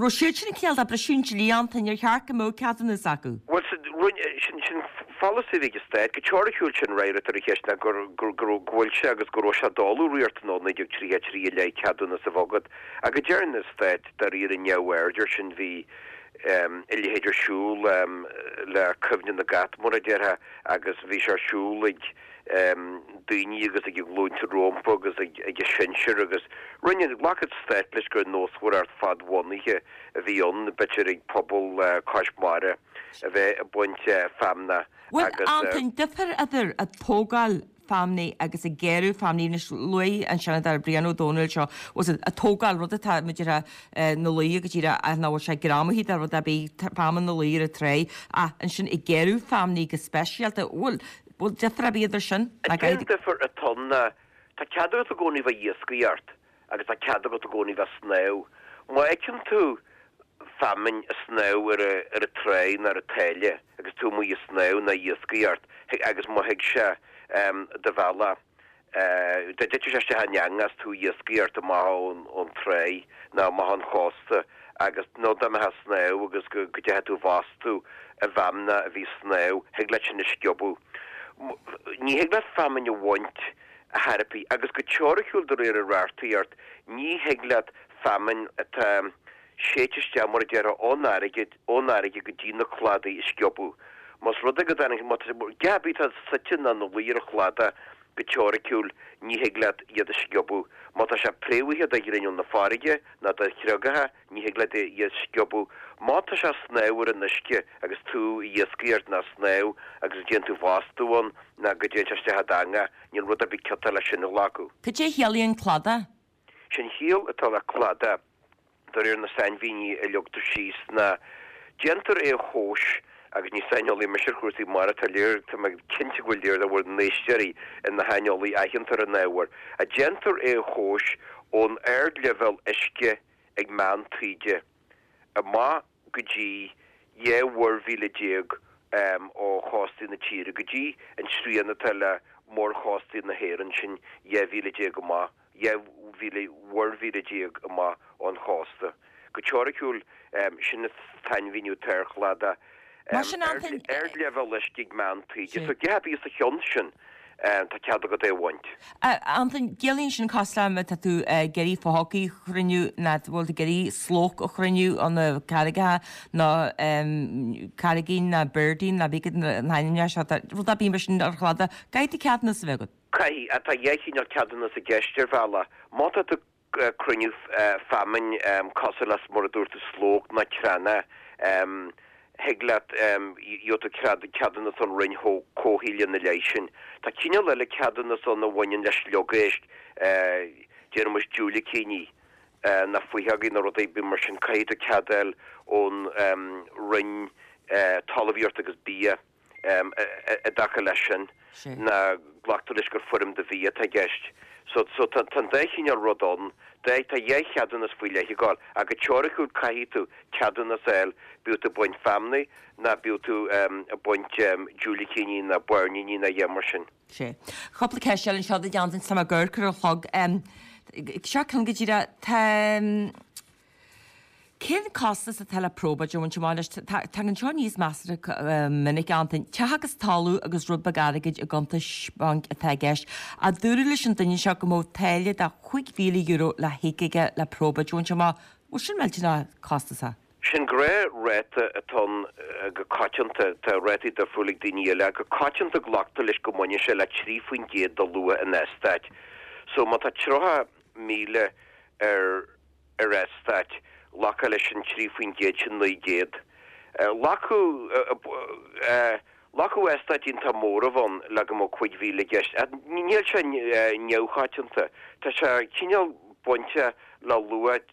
raibh siad sin cineál de briseadh an dlí Antain, ar cheart go mbeadh ceadúnas acu? Bhuel, rinne, sin, sin pholasaí a bhí ag an Stát, go teoiriciúil sin an fhreagra ar an cheist ná gur, gur, go raibh, go bhfuil sé agus go raibh sé d'fholamh riachtanach ó 1933 i leith ceadúnas a bheith agat. Ach go deireann an Stát dáiríre neamhaird air sin, bhí, a leithéid ar siúl le cuimhne na gcat, mar a déarfá, agus bhí sé ar siúl ag daoine agus ag a nglúnta rompu agus ag a sinsir agus rinne, ghlac an stát leis gur nósmhaireacht fadbhunaithe a bhí ann, b'fhéidir ag pobal cois mara a bheith ag baint feamnach Bhuel, agus. Antain, difear idir ag tógáil feamainne agus ag gearradh feamainne. Anois, luaigh an Seanadóir Brian Ó Domhnaill seo, bhfuil a fhios agat, ag tógáil, rud atá muid ar ina luí go díreach ach nach bhfuil sé greamaithe de rud ar bith, feamainn ina luí ar an tráigh, ach ansin ag gearradh feamainne go speisialta, bhuel. Bhfuil difear ar bith idir sin? An t-aon difear atá ann ná tá cead agat i gcónaí bheith ag iascaireacht agus tá cead agat i gcónaí bheith ag snámh. Má fheiceann tú feamainn ag snámh ar an tráigh nó ar an tsáile agus tú amuigh ag snámh nó ag iascaireacht agus má thig sé do bhealach, Dá dtitfeadh sé isteach in eangach is tú ag iascaireacht amach ón tráigh nó amach ón chósta agus nó dá mbeifeá ag snámh agus go dteachaidh tú i bhfostú i bhfeamnach a bhí ag snámh, thig leat sin a sciobadh. Ní thig leat feamainn a bhaint ar chor ar bith agus go teoiriciúil de réir an reachtaíocht ní thig leat feamainn atá séidte isteach mar a déarfá ón fharraige ón fharraige go dtí na cladaí a sciobadh. Más rud é go dtarraing, má tá, a dhath ar bith atá suite nó ina luí ar an chladach, go teoiriciúil, ní thig leat iad a sciobadh. Má tá sé préamhaithe de ghrinneall na farraige nó de chriogacha, ní thig leat iad a sciobadh. Má tá sé ag snámh ar an uisce agus tú ag iascaireacht nó ag snámh agus go dtéann tú i bhfostú ann nó go dtéann sé isteach i d'eangach, níl rud ar bith ciotach leis sin a ghlacadh. Cad é a chiallaíonn cladach? Sé'n chiall atá le cladach, de réir na sainmhíní a leagtar síos, ná déantar é a thomhas, agus ní saineolaí mise ar chúrsaí mara, tá léir, tá mé cinnte go bhfuil léir de bhur n-éisteoirí ina shaineolaí aitheanta ar an ábhar, déantar é a thomhas ón ardleibhéal uisce ag meán taoide amach go dtí 12 mhuirmhíle ó chóstaí na tíre, go dtí an srian atá le mórchóstaí na hÉireann, sin 12 mhíle amach. 12 mhíle, mhuirmhíle amach ón chósta. Go teoiriciúil, sin an sainmhíniú atá ar chladach. Mar sin, Antain. Ardleibhéal uisce ag meán taoide. So, a dhath ar bith os a chionn sin, tá cead agat é a bhaint. Antain, ciallaíonn sin cosúil le má tá tú ag iarraidh fothógaí a chruinniú, nó bhfuil tú ag iarraidh slóc a chruinniú ó na carraigeacha, nó carraigín, nó birdín, nó bígid na hainmneacha seo, rud ar bith mar sin ar chladach, caithfidh tú ceadúnas a bheith agat. Caithfidh, ach tá dhá chineál ceadúnas i gceist ar bhealach. Má tá tú ag cruinniú feamainn cosúil le mar a dúirt tú slóc nó creanna, thig leat, gheobhaidh tú ceadúnas ón Roinn Comhshaoil ina leith sin. Tá cineál eile ceadúnas ann a bhaineann le sliogéisc, déarfaidh muid diúilicíní nó fuitheogaí nó rudaí mar sin, caithfidh tú cead a fháil ón Roinn Talmhaíochta agus Bia. I dtaca leis sin, ná glactar leis gur foirm de bhia atá i gceist. So, so tá, tá an dá chineál rud ann. Dá, tá dhá cheadúnas faoi leith ag gabháil, ach go teoiriciúil caithfidh tú ceadúnas a fháil, bíodh tú ag baint feamnaí ná bíodh tú ag baint diúilicíní ná bairníní ná a dhath mar sin. Sea. Cúpla ceist eile anseo duit Antain, tá mé ag amharc ar an chlog. Seo ceann go díreach, tá. Cén costas atá le probáid a bhaint amach anois? Tagann seo aníos measartha minic, Antain. Teach agus talamh agus rud beag airgid i gcuntais bainc atá i gceist. Ach dúradh leis an duine seo go mbeadh táille de €5,000 le híoc aige le probáid a bhaint amach. Bhfuil sin millteanach costasach? Sin gnáthráta atá ann go coitianta. Tá rátaí difriúla ag daoine eile ach go coitianta glactar leis go mbaineann sé le 3% de luach an eastáit. So má tá 30,000 ar ar eastát, glacadh leis an 3% sin 900. Ghlacfadh ghlacfadh eastáit iontach mór a bheith ann le go mbeadh 5,000 i gceist. Ach níl sé neamhchoitianta. Tá sé cineál bainte le luach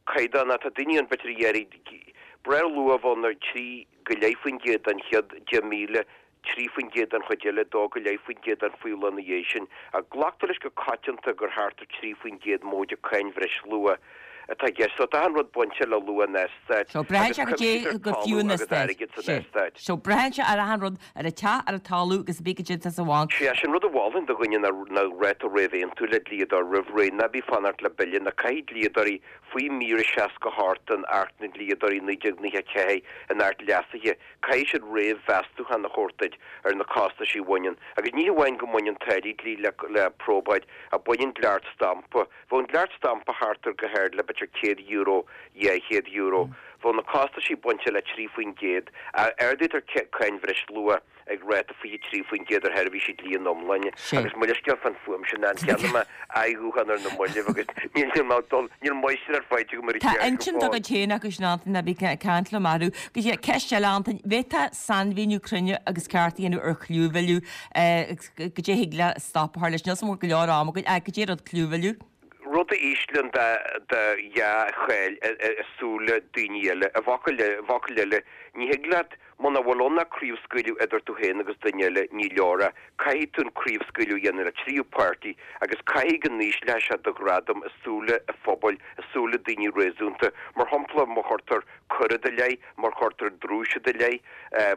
caighdeánach. Tá daoine ann b'fhéidir a dhéarfaidh breithlúach a bheith ann ar 3.5% den chéad 10,000 3% den chuid eile, 2.5% den faola ina dhiaidh sin, ach glactar leis go coitianta gur thart ar 3% móide cáin bhreisluacha atá i gceist. So tá achan rud bainte le luach an eastáit So braitheann agus sé go dté cuimsítear go fiú talamh an agus eastát. airgead san Sé. eastát. So braitheann sé ar achan rud, ar an teach, ar an talamh agus cibé goidé atá sa bhanc. Sea, sin rud a mholfainn do dhuine ná ná ráta réamhaontú le dlíodóir roimh ré, ná bí fanacht le bille, ná caithfidh dlíodóirí faoi mhír 68 den Acht na nDlíodóirí 1994, an Acht leasaithe, Caithfidh siad réamh-mheastúchán a thabhairt duit ar na costaisí a bhaineann, agus ní hamháin go mbaineann táillí dlí le probáid, ach baineann dleacht stampa. Bheadh an dleacht stampa thart ar go hard le b'fhéidir €100, €200. Bheadh na costaisí bainte le 3%, ach ardaítear cáin bhreisluacha ag ráta 23% ar sheirbhísí dlí ina iomláine. Agus mo leithscéal fán fuaim sin, an cheannaigh mé aghaidh-ghuthán ar na mallaibh agus níl mé ag dul, níl máistreacht faighte agam ar an Tá cheird go intinn dá fóill. gcuid féin acu sin, Antain, ná bí ag caint liom orthu. Go dtí ceist eile, Antain, bhféadfá sainmhíniú cruinne agus ceart a dhéanamh ar chlúmhilleadh agus goidé a thig le stop a chur leis. Níl 's agam an bhfuil go leor ama againn, ach goidé rud clúmhilleadh. Rud a íslíonn do dhea-cháil i súile daoine eile. I bhfocail eile, ní thig leat. Muna bhfuil ann ach craobhscaoileadh idir tú féin agus duine eile, ní leor é. Caithfidh tú an craobhscaoileadh a dhéanamh le tríú páirtí agus caithfidh go n-ísleoidh sé do ghradam i súile an phobail, i súile daoine réasúnta. Mar shampla, má chuirtear coir i do leith, má chuirtear drúis i do leith,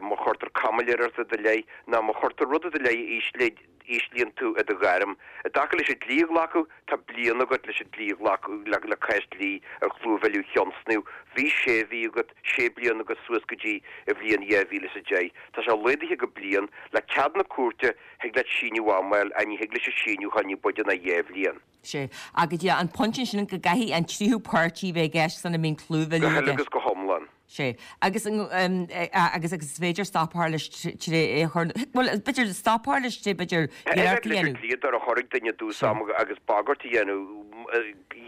má chuirtear caimiléireacht i do leith, nó má chuirtear rud i do leith a íslíonn tú i do ghairm. I dtaca leis an dlí a ghlacadh, tá bliain agat leis an dlí a ghlacadh, le cás dlí ar chlúmhilleadh a thionscnamh. Bhí sé mhí agat, sé bliana agat suas go dtí an bhliain 2010. Tá sé laghdaithe go bliain. Le cead na cúirte, thig leat síneadh ama a fháil ach ní thig leis an síneadh a dhul ní b'fhaide ná 2 bhliain. Sea. Agus an pointe ansin go gcaithfidh an tríú páirtí bheith i gceist sula mbíonn clúmhilleadh i gceist. Go huile agus go hiomlán. Sea. Agus agus agus is féidir stop a chur leis tré é a chur, bhuel, b'fhéidir stop a chur leis tré b'fhéidir iarracht a leis an dhéanamh. dlíodóir a chur ag duine i dtús ama agus bagairt a dhéanamh,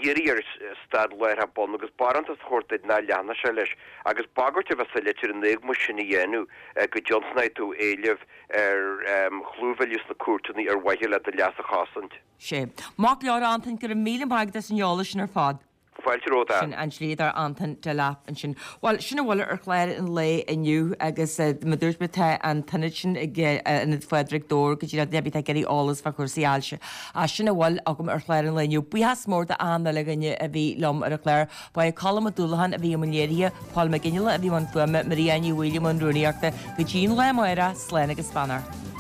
iarraidh air stad láithreach bonn agus barántas a thabhairt duit nach leanfadh sé leis agus bagairt a bheith sa litir in éagmais sin a dhéanamh go dtionscnóidh tú éileamh ar chlúmhilleadh sna cúirteanna ar mhaithe le do leas a chosaint. Sea. Maith go leor, a Antain, go raibh míle maith agat as an eolas sin ar fad. Fáilte romhat, Sin an dlíodóir Antain Delap ansin. Bhuel, sin a bhfuil ar chlár an lae inniu agus mar a dúirt mé tá an t-ionad sin ag Ionad Phádraig Dobhair go díreach duine ar bith atá ag iarraidh eolas fá chúrsaí ailse. Ach sin a bhfuil agam ar chlár an lae inniu. Buíochas mór d'achan uile dhuine a bhí liom ar an chlár. Ba é Colm Ó Dúlacháin a bhí i mbun léirithe, Paul Mac Fhionnghaile a bhí i mbun fuaime, Maria Ní Bhaoill i mbun rúnaíochta. Go dtí an lá amárach, slán agus beannacht.